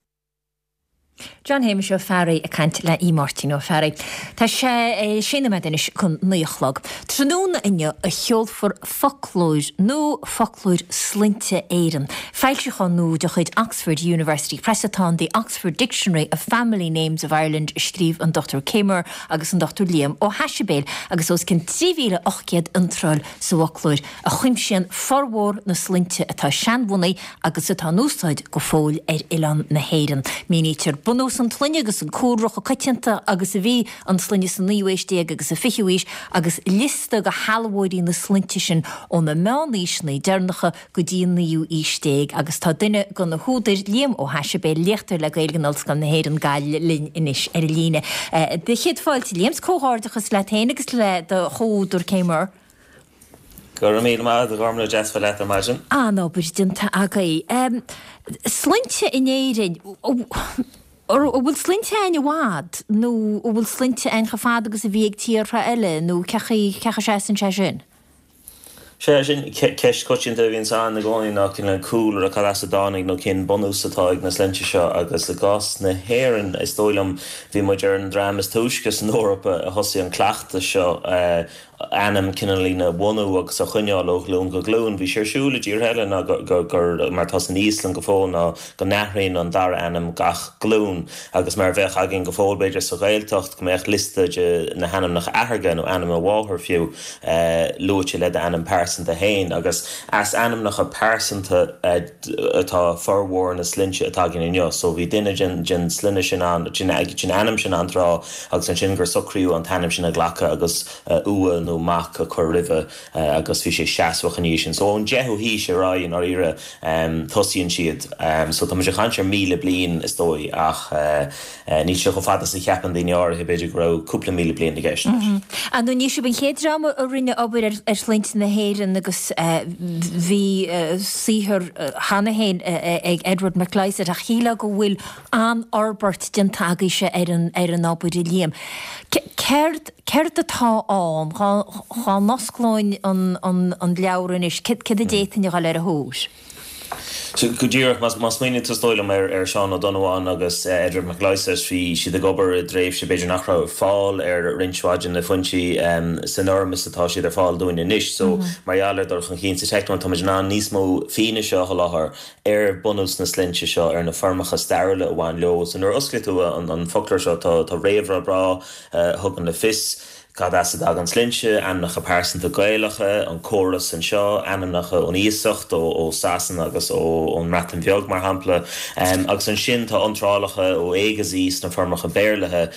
John Shéamuis Ó Fearraigh ag caint le Aodh Máirtín Ó Fearraigh. Tá sé sé nóiméad anois chun naoi a chlog. Tráthnóna inniu a sheolfar foclóir nua Foclóir Sloinnte Éireann. Foilseachán nua de chuid Oxford University Press atá ann The Oxford Dictionary of Family Names of Ireland a scríobh an Dochtúir Kay Muhr agus an Dochtúir Liam Ó hAisibéil agus os cionn trí mhíle ocht gcéad iontráil sa bhfoclóir a chuimsíonn formhór na sloinnte atá seanbhunaithe agus atá in úsáid go fóill ar oileán na hÉireann. Mínítear bunús an tsloinne agus an cúlra chomh coitianta agus a bhí an sloinne sa naoú haois déag agus sa fichiú haois agus liosta de shealbhóirí na sloinnte sin ó na meánaoiseanna deireanacha go dtí an naoú haois déag agus tá duine de na húdair, Liam Ó hAisibéil, léachtóir le Gaeilge in Ollscoil na hÉireann, Gaillimh, linn anois ar an líne. Do chéad fáilte, Liam, 's comhghairdeachas leat féin agus le do chomhúdar Kay Muhr. Go raibh míle maith agat, a Ghormfhlaith, deas bheith leat ar maidin. An-obair déanta agaibh. Sloinnte in Éirinn, an bhfuil sloinnte againn i bhfad nó an bhfuil sloinnte againn chomh fada agus a bhí ag tíortha eile nó cé chaoi, cé chaoi a seasann sé sin? Sea, sin ceist choitianta a bhíonns ann i gcónaí ná cén cúlra, cad as a dtáinig nó cén bunús atá ag na sloinnte seo agus i gcás na hÉireann is dóigh liom bhí muid ar an dream is túisce san Eoraip a thosaigh an cleachtas seo ainm cineáilín a bhunú agus a choinneáil ó ghlúin go glúin. Bhí sé ar siúl i dtíortha eile ná gur, mar atá san Íoslainn go fóill, ná go n-athraíonn an dara ainm gach glúin agus mar a bheadh againn go fóill b'fhéidir sa Ghaeltacht go mbeadh liosta de na hainmneacha athartha nó ainm a mháthar fiú luaite le d'ainm pearsanta féin agus as ainmneacha pearsanta atá formhór na sloinnte atá againn inniu. So bhí duine den den sloinne sin ann, den ainm sin ann tráth agus ansin gur socraíodh an t-ainm sin a ghlacadh agus ua nó mac a chur roimhe agus bhí sé seasmhach ina dhiaidh sin. So ón deichiú haois ar aghaidh i ndáiríre tosaíonn siad. So tá muid ag caint ar míle bliain is dóigh ach níl sé chomh fada is a cheapann daoine áirithe, b'fhéidir go raibh cúpla míle bliain i gceist leis. Ar ndóigh ní sibh an chéad dream a rinne obair ar shloinnte na hÉireann agus bhí saothar cheana féin ag Edward McLysaght ach shílfeá go bhfuil an-fhorbairt déanta agaibhse ar an ar an obair a Liam. Céard céard atá ann? Dhá n-osclóinn an an leabhar anois, céard a d'fhéadfainn a dhul ar a thóir? So go díreach, má smaoiníonn tú is dóigh liom ar ar Seán Ó Donnabháin agus Edward McLysaght, bhí siad ag obair i dtréimhse b'fhéidir nach raibh fáil ar roinnt mhaith de na foinsí san fhoirm is atá siad ar fáil dúinn anois. So mar gheall ar dul chun cinn sa teicneolaíocht tá muid in ann níos mó fianaise a sholáthar ar bunús na sloinnte seo, ar na foirmeacha stairiúla a bhain leo. So nuair a osclaíonn tú an foclóir seo tá tá réamhrá breá a thugann le fios cad as a dtagann sloinnte, ainmneacha pearsanta Gaelacha, an córas anseo, ainmneacha ón iasacht, ó ó Sasana agus ó ón mBreatain Bheag mar shampla. Agus ansin tá iontrálacha ó A go Z sna foirmeacha Béarlaithe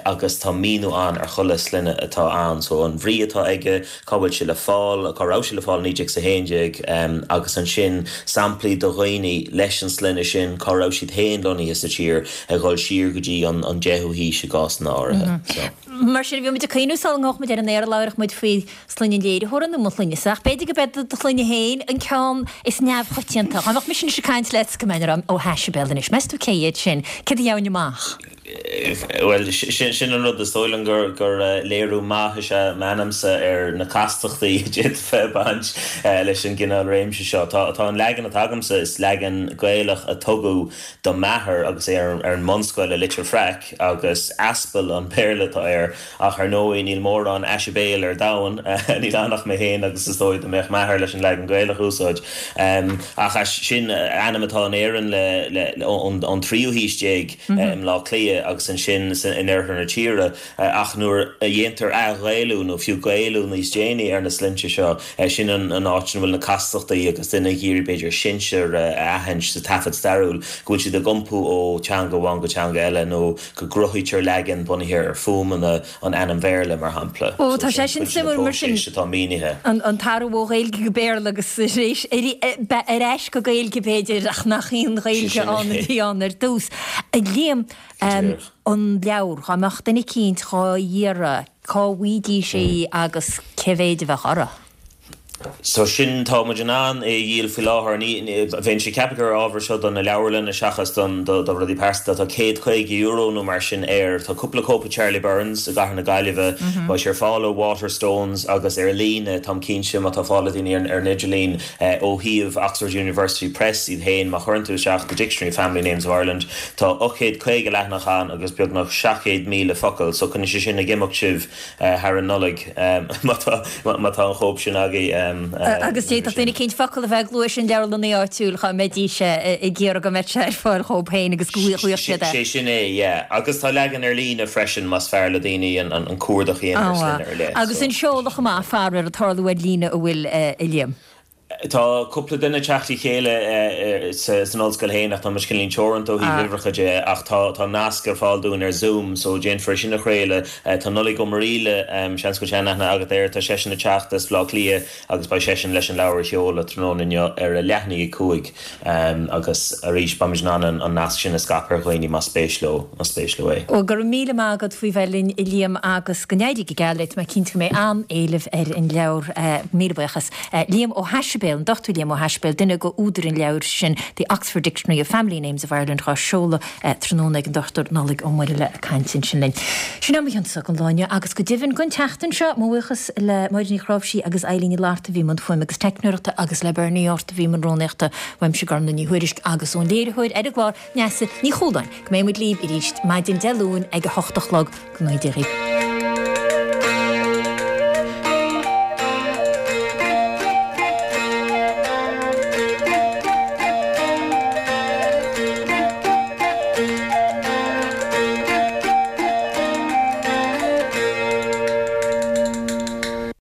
agus tá míniú ann ar chuile sloinne atá ann. So an bhrí atá aige, cá bhfuil sé le fáil, cá raibh sé le fáil i naoi déag 's a haon déag agus ansin samplaí de dhaoine leis an sloinne sin, cá raibh siad féin lonnaithe sa tír, ag dhul siar go dtí an deichiú haois i gcásanna áirithe. So. Mar sin, bhí muid ag cuimhneamh sula ngabhadh muid ar an aer, labhair muid faoi sloinne an léiritheora nó mo shloinne-sa, ach b'fhéidir go b'é do shloinne féin an ceann is neamhchoitianta. Dá mbeadh mise anois ag caint leat go mbeinn ag rá Ó hAisibéil anois, meas tú cé hiad sin? Céard a gheobhainn amach? Bhuel, sin an rud, is dóigh liom gur gur léiriú maith is ea m'ainmse ar na castachtaí a d'fhéadfadh bheith ag baint leis an gcineál réimse seo. Tá tá an leagan atá agamsa, is leagan Gaelach a tugadh do m'athair agus é ar an mbunscoil i Leitir Fraic agus Aspel an Béarla atá air ach ar ndóigh níl mórán Aisibéil ar domhan, níl ann ach mé féin agus is dóigh dá mbeadh m'athair leis an leagan Gaelach a úsáid. Ach sin ainm atá in Éirinn le ón tríú haois déag i mBleá Cliath agus ansin in oirthear na tíre ach nuair a dhéantar ath-Ghaelú nó fiú Gaelú níos déanaí ar na sloinnte seo, sin an áit ina bhfuil na castachtaí agus duine ag iarraidh b'fhéidir sinsear a aithint sa taifead stairiúil, go bhfuil siad ag iompú ó teanga amháin go teanga eile nó go gcruthaítear leagan bunaithe ar fuaimeanna an ainm Bhéarla, mar shampla. Ó, tá sé sin suimiúil mar sin. Atá mínithe. An t-athrú ó Ghaeilge go Béarla agus arís ar ais go Gaeilge b'fhéidir ach nach í an Ghaeilge ann a bhí ann ar dtús. A Liam, an leabhar, dhá mbeadh duine eicínt dhá iarraidh, cá bhfaighidís í agus cé mhéid a bheadh orthu? So sin tá muid in ann é a dhíol faoi láthair. Ní bheinnse ag ceapadh gur ábhar seo do na leabharlanna seachas don do rudaí pearsanta. Tá céad caoga euro nó mar sin air. Tá cúpla cóip ag Charlie Byrne's i gCathair na Gaillimhe. Beidh sé ar fáil ó Waterstones agus ar líne, táim cinnte, má tá fáil ag daoine ar an idirlíon ó shuíomh Oxford University Press iad féin. Má chuireann tú isteach The Dictionary of Family Names of Ireland, tá ocht gcéad caoga leathanach ann agus beagnach seacht gcéad míle focal. So coinneoidh sé sin ag imeacht sibh thar an Nollaig má tá má tá an chóip sin agaibh. Agus d'fhéadfadh duine eicínt focal a bheith ag lua sin leabharlannaí áitiúil dhá mbeidís ag iarraidh go mbeadh sé ar fáil dhóibh féin agus go bhfaigheadh siad é. Sé sin é, yeah. Agus tá leagan ar líne freisin más fearr le daoine an cuardach a dhéanamh ar shloinne ar leith. Agus an seoladh chomh maith, fara ar tarlú ar líne a bhfuil, a Liam. Tá cúpla duine ag teacht le chéile san ollscoil féin ach tá muid cineáilín teoranta ó thaobh uimhreacha de ach tá tá nasc ar fáil dúinn ar Zoom so déanfar é sin a chraoladh. Tá Nollaig Ó Muraíle, seans go bhfuil seanaithne agat air, tá seisean ag teacht as Baile Átha Cliath agus beidh seisean leis an leabhar a sheoladh tráthnóna inniu ar a leath i ndiaidh a cúig agus arís beimid in ann an nasc sin a scaipeadh ar dhaoine más spéis leo más spéis leo é. Bhuel, go raibh míle maith agat faoi bheith linn a Liam agus go n-éirí go geal leat, tá mé cinnte go mbeidh an-éileamh ar an leabhar. Míle buíochas. Liam Ó hAisibéil, an Dochtúir Liam Ó hAisibéil, duine de údair an leabhair sin, The Oxford Dictionary of Family Names of Ireland, dhá seoladh tráthnóna ag an Dochtúir Nollaig Ó Muraíle ag caint ansin linn. Sin é mo chionsa don lá inniu agus go deimhin don tseachtain seo, mo bhuíochas le Máire Ní Chráimhsí agus Eilín Ní Fhlatharta a bhí i mbun fuaime agus teicneoireachta agus le Bernie Ort a bhí i mbun rúnaíochta, uaimse Gormlaith Ní Thuairisg agus ón léiritheoir ar an gclár, Neasa Ní Chualáin. Go mbeidh muid libh arís maidin Dé Luain ag a hocht a chlog. Go mbeidh Dia dhaoibh.